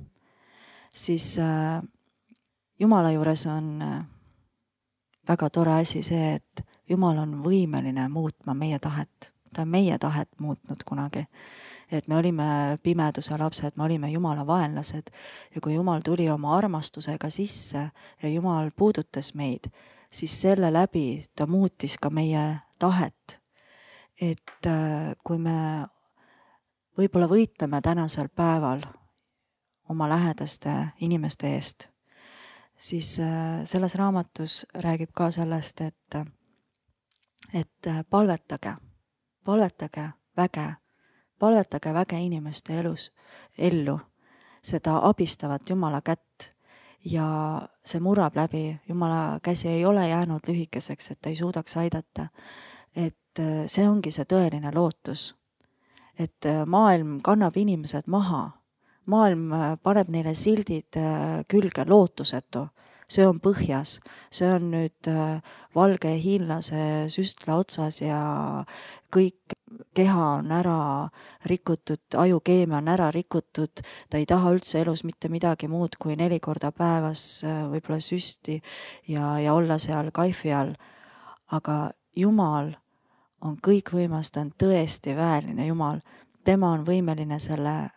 Siis äh, Jumala juures on väga tore asi see, et Jumal on võimeline muutma meie tahet. Ta on meie tahet muutnud kunagi. Et me olime pimeduse lapsed, me olime Jumala vaenlased ja kui Jumal tuli oma armastusega sisse ja Jumal puudutas meid, siis selle läbi ta muutis ka meie tahet. Et kui me võib-olla võitleme tänasel päeval oma lähedaste inimeste eest, siis selles raamatus räägib ka sellest, et, et palvetage, palvetage väge, palvetage väge inimeste elus, ellu, seda abistavat Jumala kätt ja see murrab läbi. Jumala käsi ei ole jäänud lühikeseks, et ta ei suudaks aidata. Et see ongi see tõeline lootus. Et maailm kannab inimesed maha. Maailm paneb neile sildid külge lootusetu. See on põhjas, see on nüüd valge hiinlase süstla otsas ja kõik keha on ära rikutud, ajukeemia on ära rikutud, ta ei taha üldse elus mitte midagi muud kui neli korda päevas võib-olla süsti ja, ja olla seal kaifi all. Aga Jumal on kõikvõimas, ta on tõesti väeline Jumal. Tema on võimeline selle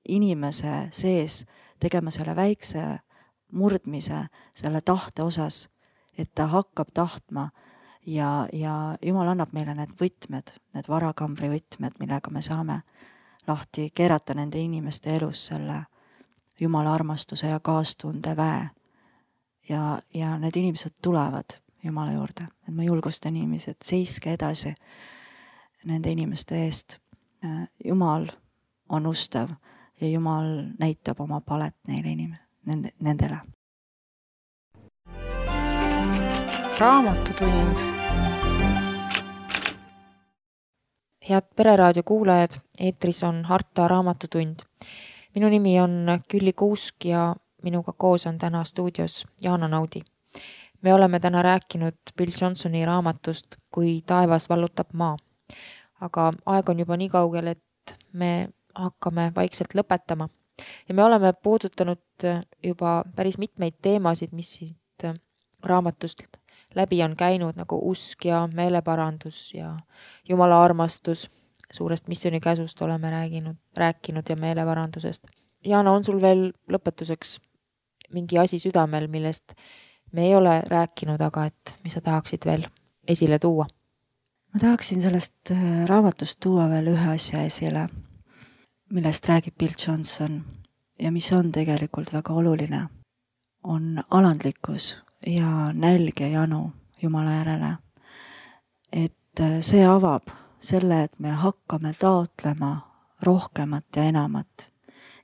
inimese sees tegema selle väikse murdmise selle tahte osas, et ta hakkab tahtma ja, ja Jumal annab meile need võtmed, need varakambri võtmed, millega me saame lahti keerata nende inimeste elus selle Jumala armastuse ja kaastunde väe. Ja, ja need inimesed tulevad Jumala juurde, et ma julgustan inimesed, seiske edasi nende inimeste eest. Jumal on ustav ja Jumal näitab oma palet neile inimesele. Nende, nendele. Raamatutund. Head Pereraadio kuulajad, eetris on Harta Raamatutund. Minu nimi on Külli Kuusk ja minuga koos on täna stuudios Jaana Naudi. Me oleme täna rääkinud Bill Johnsoni raamatust Kui taevas vallutab maa. Aga aeg on juba nii kaugel, et me hakkame vaikselt lõpetama. Ja me oleme puudutanud juba päris mitmeid teemasid, mis siit raamatust läbi on käinud, nagu usk ja meeleparandus ja Jumala armastus. Suurest missioonikäsust oleme rääginud, rääkinud ja meeleparandusest. Jaana, on sul veel lõpetuseks mingi asi südamel, millest me ei ole rääkinud, aga et mis sa tahaksid veel esile tuua? Ma tahaksin sellest raamatust tuua veel ühe asja esile, millest räägib Bill Johnson ja mis on tegelikult väga oluline, on alandlikkus ja nälg ja janu Jumala järele. Et see avab selle, et me hakkame taotlema rohkemat ja enamat.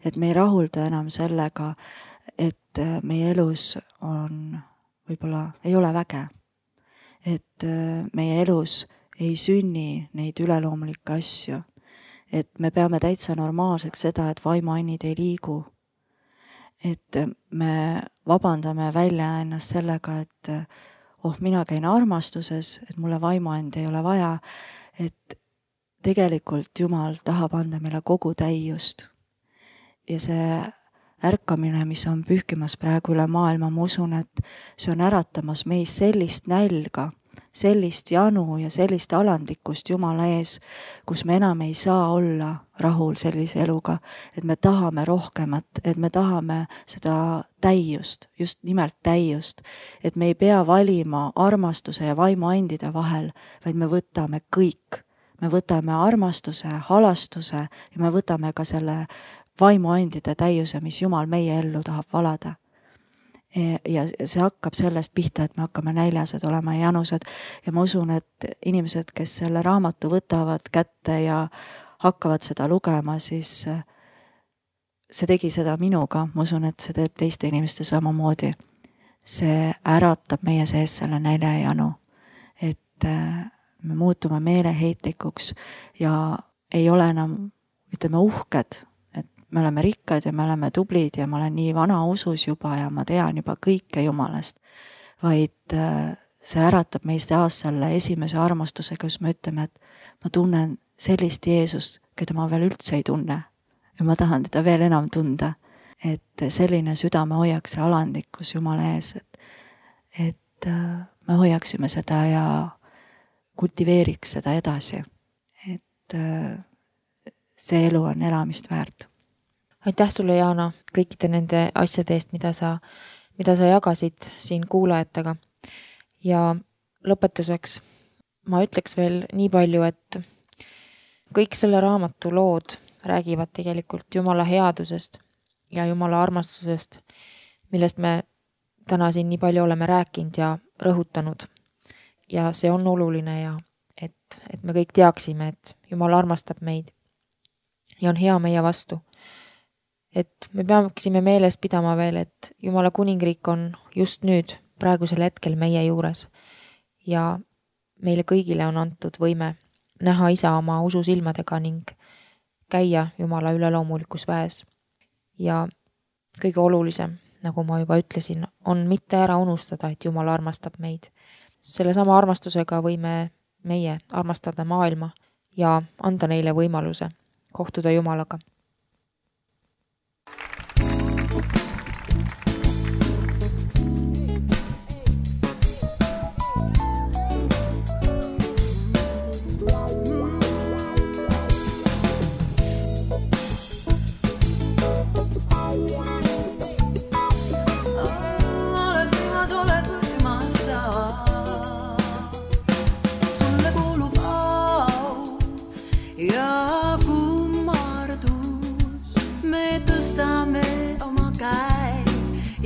Et me ei rahulda enam sellega, et meie elus on, võib-olla ei ole väge. Et meie elus ei sünni neid üleloomulikke asju. Et me peame täitsa normaalseks seda, et vaimuannid ei liigu. Et me vabandame välja ennast sellega, et oh, mina käin armastuses, et mulle vaimuand ei ole vaja, et tegelikult Jumal tahab anda meile kogu täiust. Ja see ärkamine, mis on pühkimas praegu üle maailma, ma usun, et see on äratamas meis sellist nälga, sellist janu ja sellist alandlikkust Jumala ees, kus me enam ei saa olla rahul sellise eluga, et me tahame rohkemat, et me tahame seda täiust, just nimelt täiust, et me ei pea valima armastuse ja vaimuandide vahel, vaid me võtame kõik. Me võtame armastuse, halastuse ja me võtame ka selle vaimuandide täiuse, mis Jumal meie ellu tahab valada. Ja see hakkab sellest pihta, et me hakkame näljased olema ja janused ja ma usun, et inimesed, kes selle raamatu võtavad kätte ja hakkavad seda lugema, siis see tegi seda minuga, ma usun, et see teeb teiste inimeste samamoodi. See äratab meie sees selle nälja ja janu, et me muutume meeleheitlikuks ja ei ole enam, ütleme, uhked, me oleme rikkad ja me oleme tublid ja ma olen nii vana usus juba ja ma tean juba kõike Jumalast, vaid see äratab meist jaas selle esimese armastusega, kus me ütleme, et ma tunnen sellist Jeesust, keda ma veel üldse ei tunne ja ma tahan teda veel enam tunda, et selline südame hoiaks ja alandlikkus Jumala ees, et, et me hoiaksime seda ja kultiveeriks seda edasi, et see elu on elamist väärt. Aitäh sulle, Jaana, kõikide nende asjade eest, mida sa, mida sa jagasid siin kuulajatega. Ja lõpetuseks ma ütleks veel nii palju, et kõik selle raamatu lood räägivad tegelikult Jumala headusest ja Jumala armastusest, millest me täna siin nii palju oleme rääkinud ja rõhutanud. Ja see on oluline ja et, et me kõik teaksime, et Jumal armastab meid ja on hea meie vastu. Et me peaksime meeles pidama veel, et Jumala kuningriik on just nüüd, praegusel hetkel meie juures ja meile kõigile on antud võime näha isa oma usu silmadega ning käia Jumala üleloomulikus väes. Ja kõige olulisem, nagu ma juba ütlesin, on mitte ära unustada, et Jumal armastab meid. Selle sama armastusega võime meie armastada maailma ja anda neile võimaluse kohtuda Jumalaga.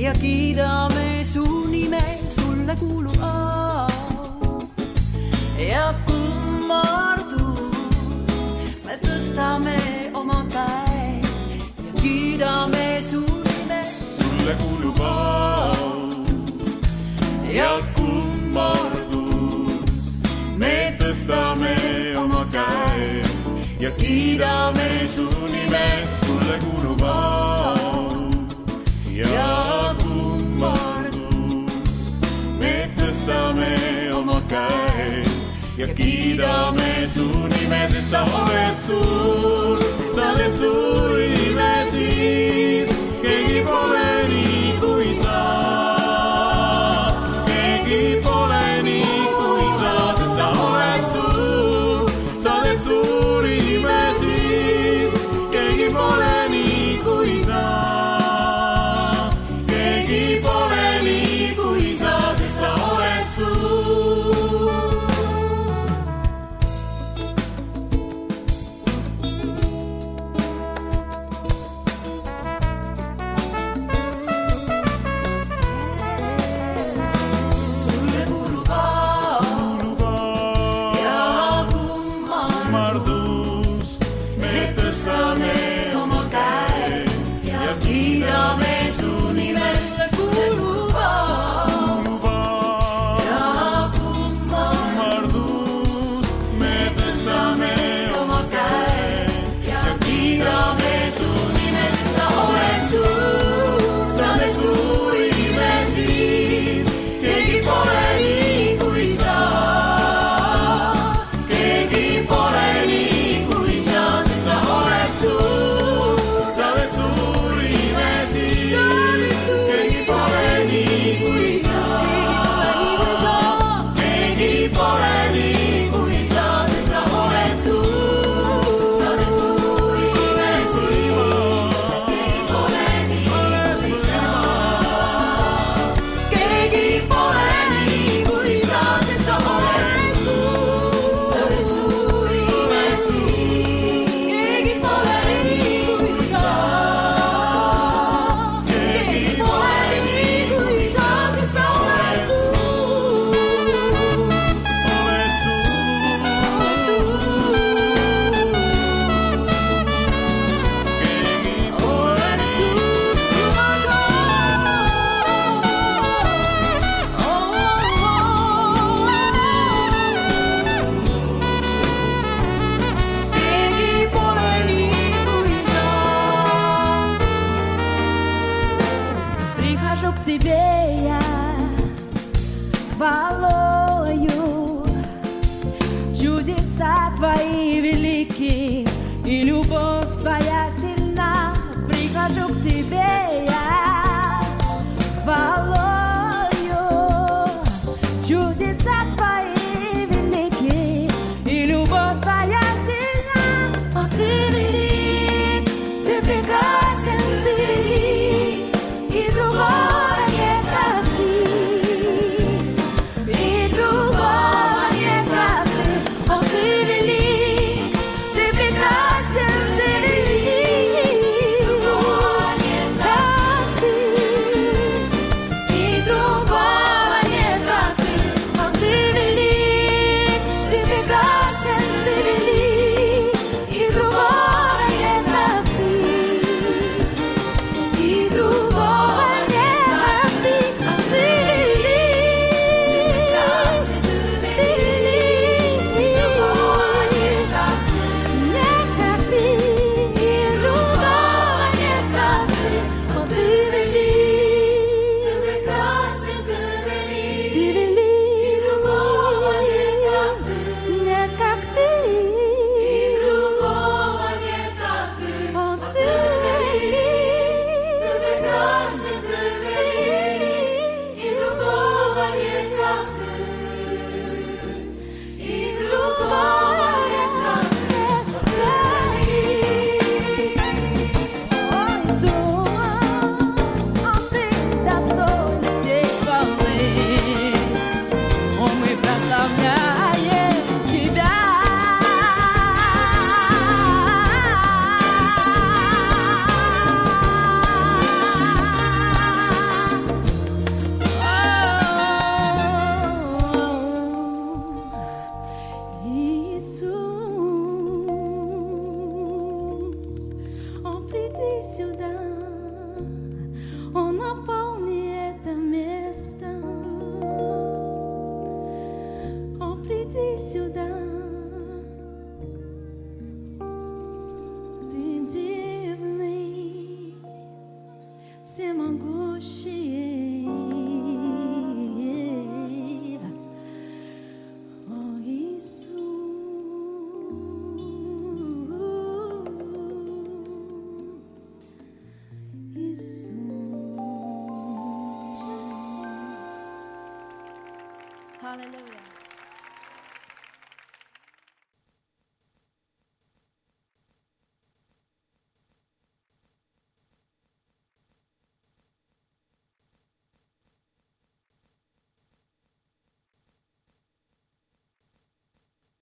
Ja kiidame su nime, sulle kuulub au ja kummardus. Me tõstame oma käe ja kiidame su nime, sulle kuulub au ja kummardus. Me tõstame oma käe ja kiidame su nime, sulle kuulub au ja kummardus. Me tõstame oma käe ja kiidame su nime, sest sa oled suur, sa oled suur imesid, keegi pole nii kui sa, keegi pole nii kui sa, sest sa oled suur, sa oled suur imesid, keegi pole nii kui sa. kiidame su nimele kuuluva ja kummardus. Me tõstame oma käe ja kiidame su nime, sest sa oled suur, sa teed suuri imesid, keegi pole nii kui sa, keegi pole nii kui sa, sest sa oled suur, sa teed suuri imesid, keegi pole nii kui sa, keegi pole nii kui sa, sest sa oled suur, sa teed suuri imesid, keegi pole nii kui sa, keegi pole nii kui sa, sest sa oled suur, sa teed suuri imesid, keegi pole nii kui sa, keegi pole nii kui sa, sest sa oled suur, oled keegi pole nii kui sa. Прихожу к тебе я с хвалою, чудеса твои велики, и любовь твоя сильна. Прихожу к тебе я с хвалою, чудеса твои велики, и любовь твоя сильна. О, ты велик, ты прекрасен, ты велик, и другого нет, как ты, и другого нет, как ты. О, ты велик, ты прекрасен, ты велик, и другого нет, как ты, и другого нет, как ты. О, ты велик, ты прекрасен, ты велик, и другого нет, как ты, и другого нет, как ты. О, ты велик, прекрасен, ты велик, и другого нет, как ты, Нет, как ты, и другого нет, как ты. О, ты велик, ты прекрасен, ты велик, ты велик, и другого нет, как ты, нет, как ты, и другого нет, как ты. О, О, ты ты велик, ты велик, прекрасен, ты велик, и другого нет, как ты, и другого нет, как ты. О, ты велик. О, Иисус, О, ты достоин всей хвалы. О, мы прославляем Тебя. Иисус, О, приди сюда, О, наполни это место. О, приди сюда, ты дивный, всемогущий.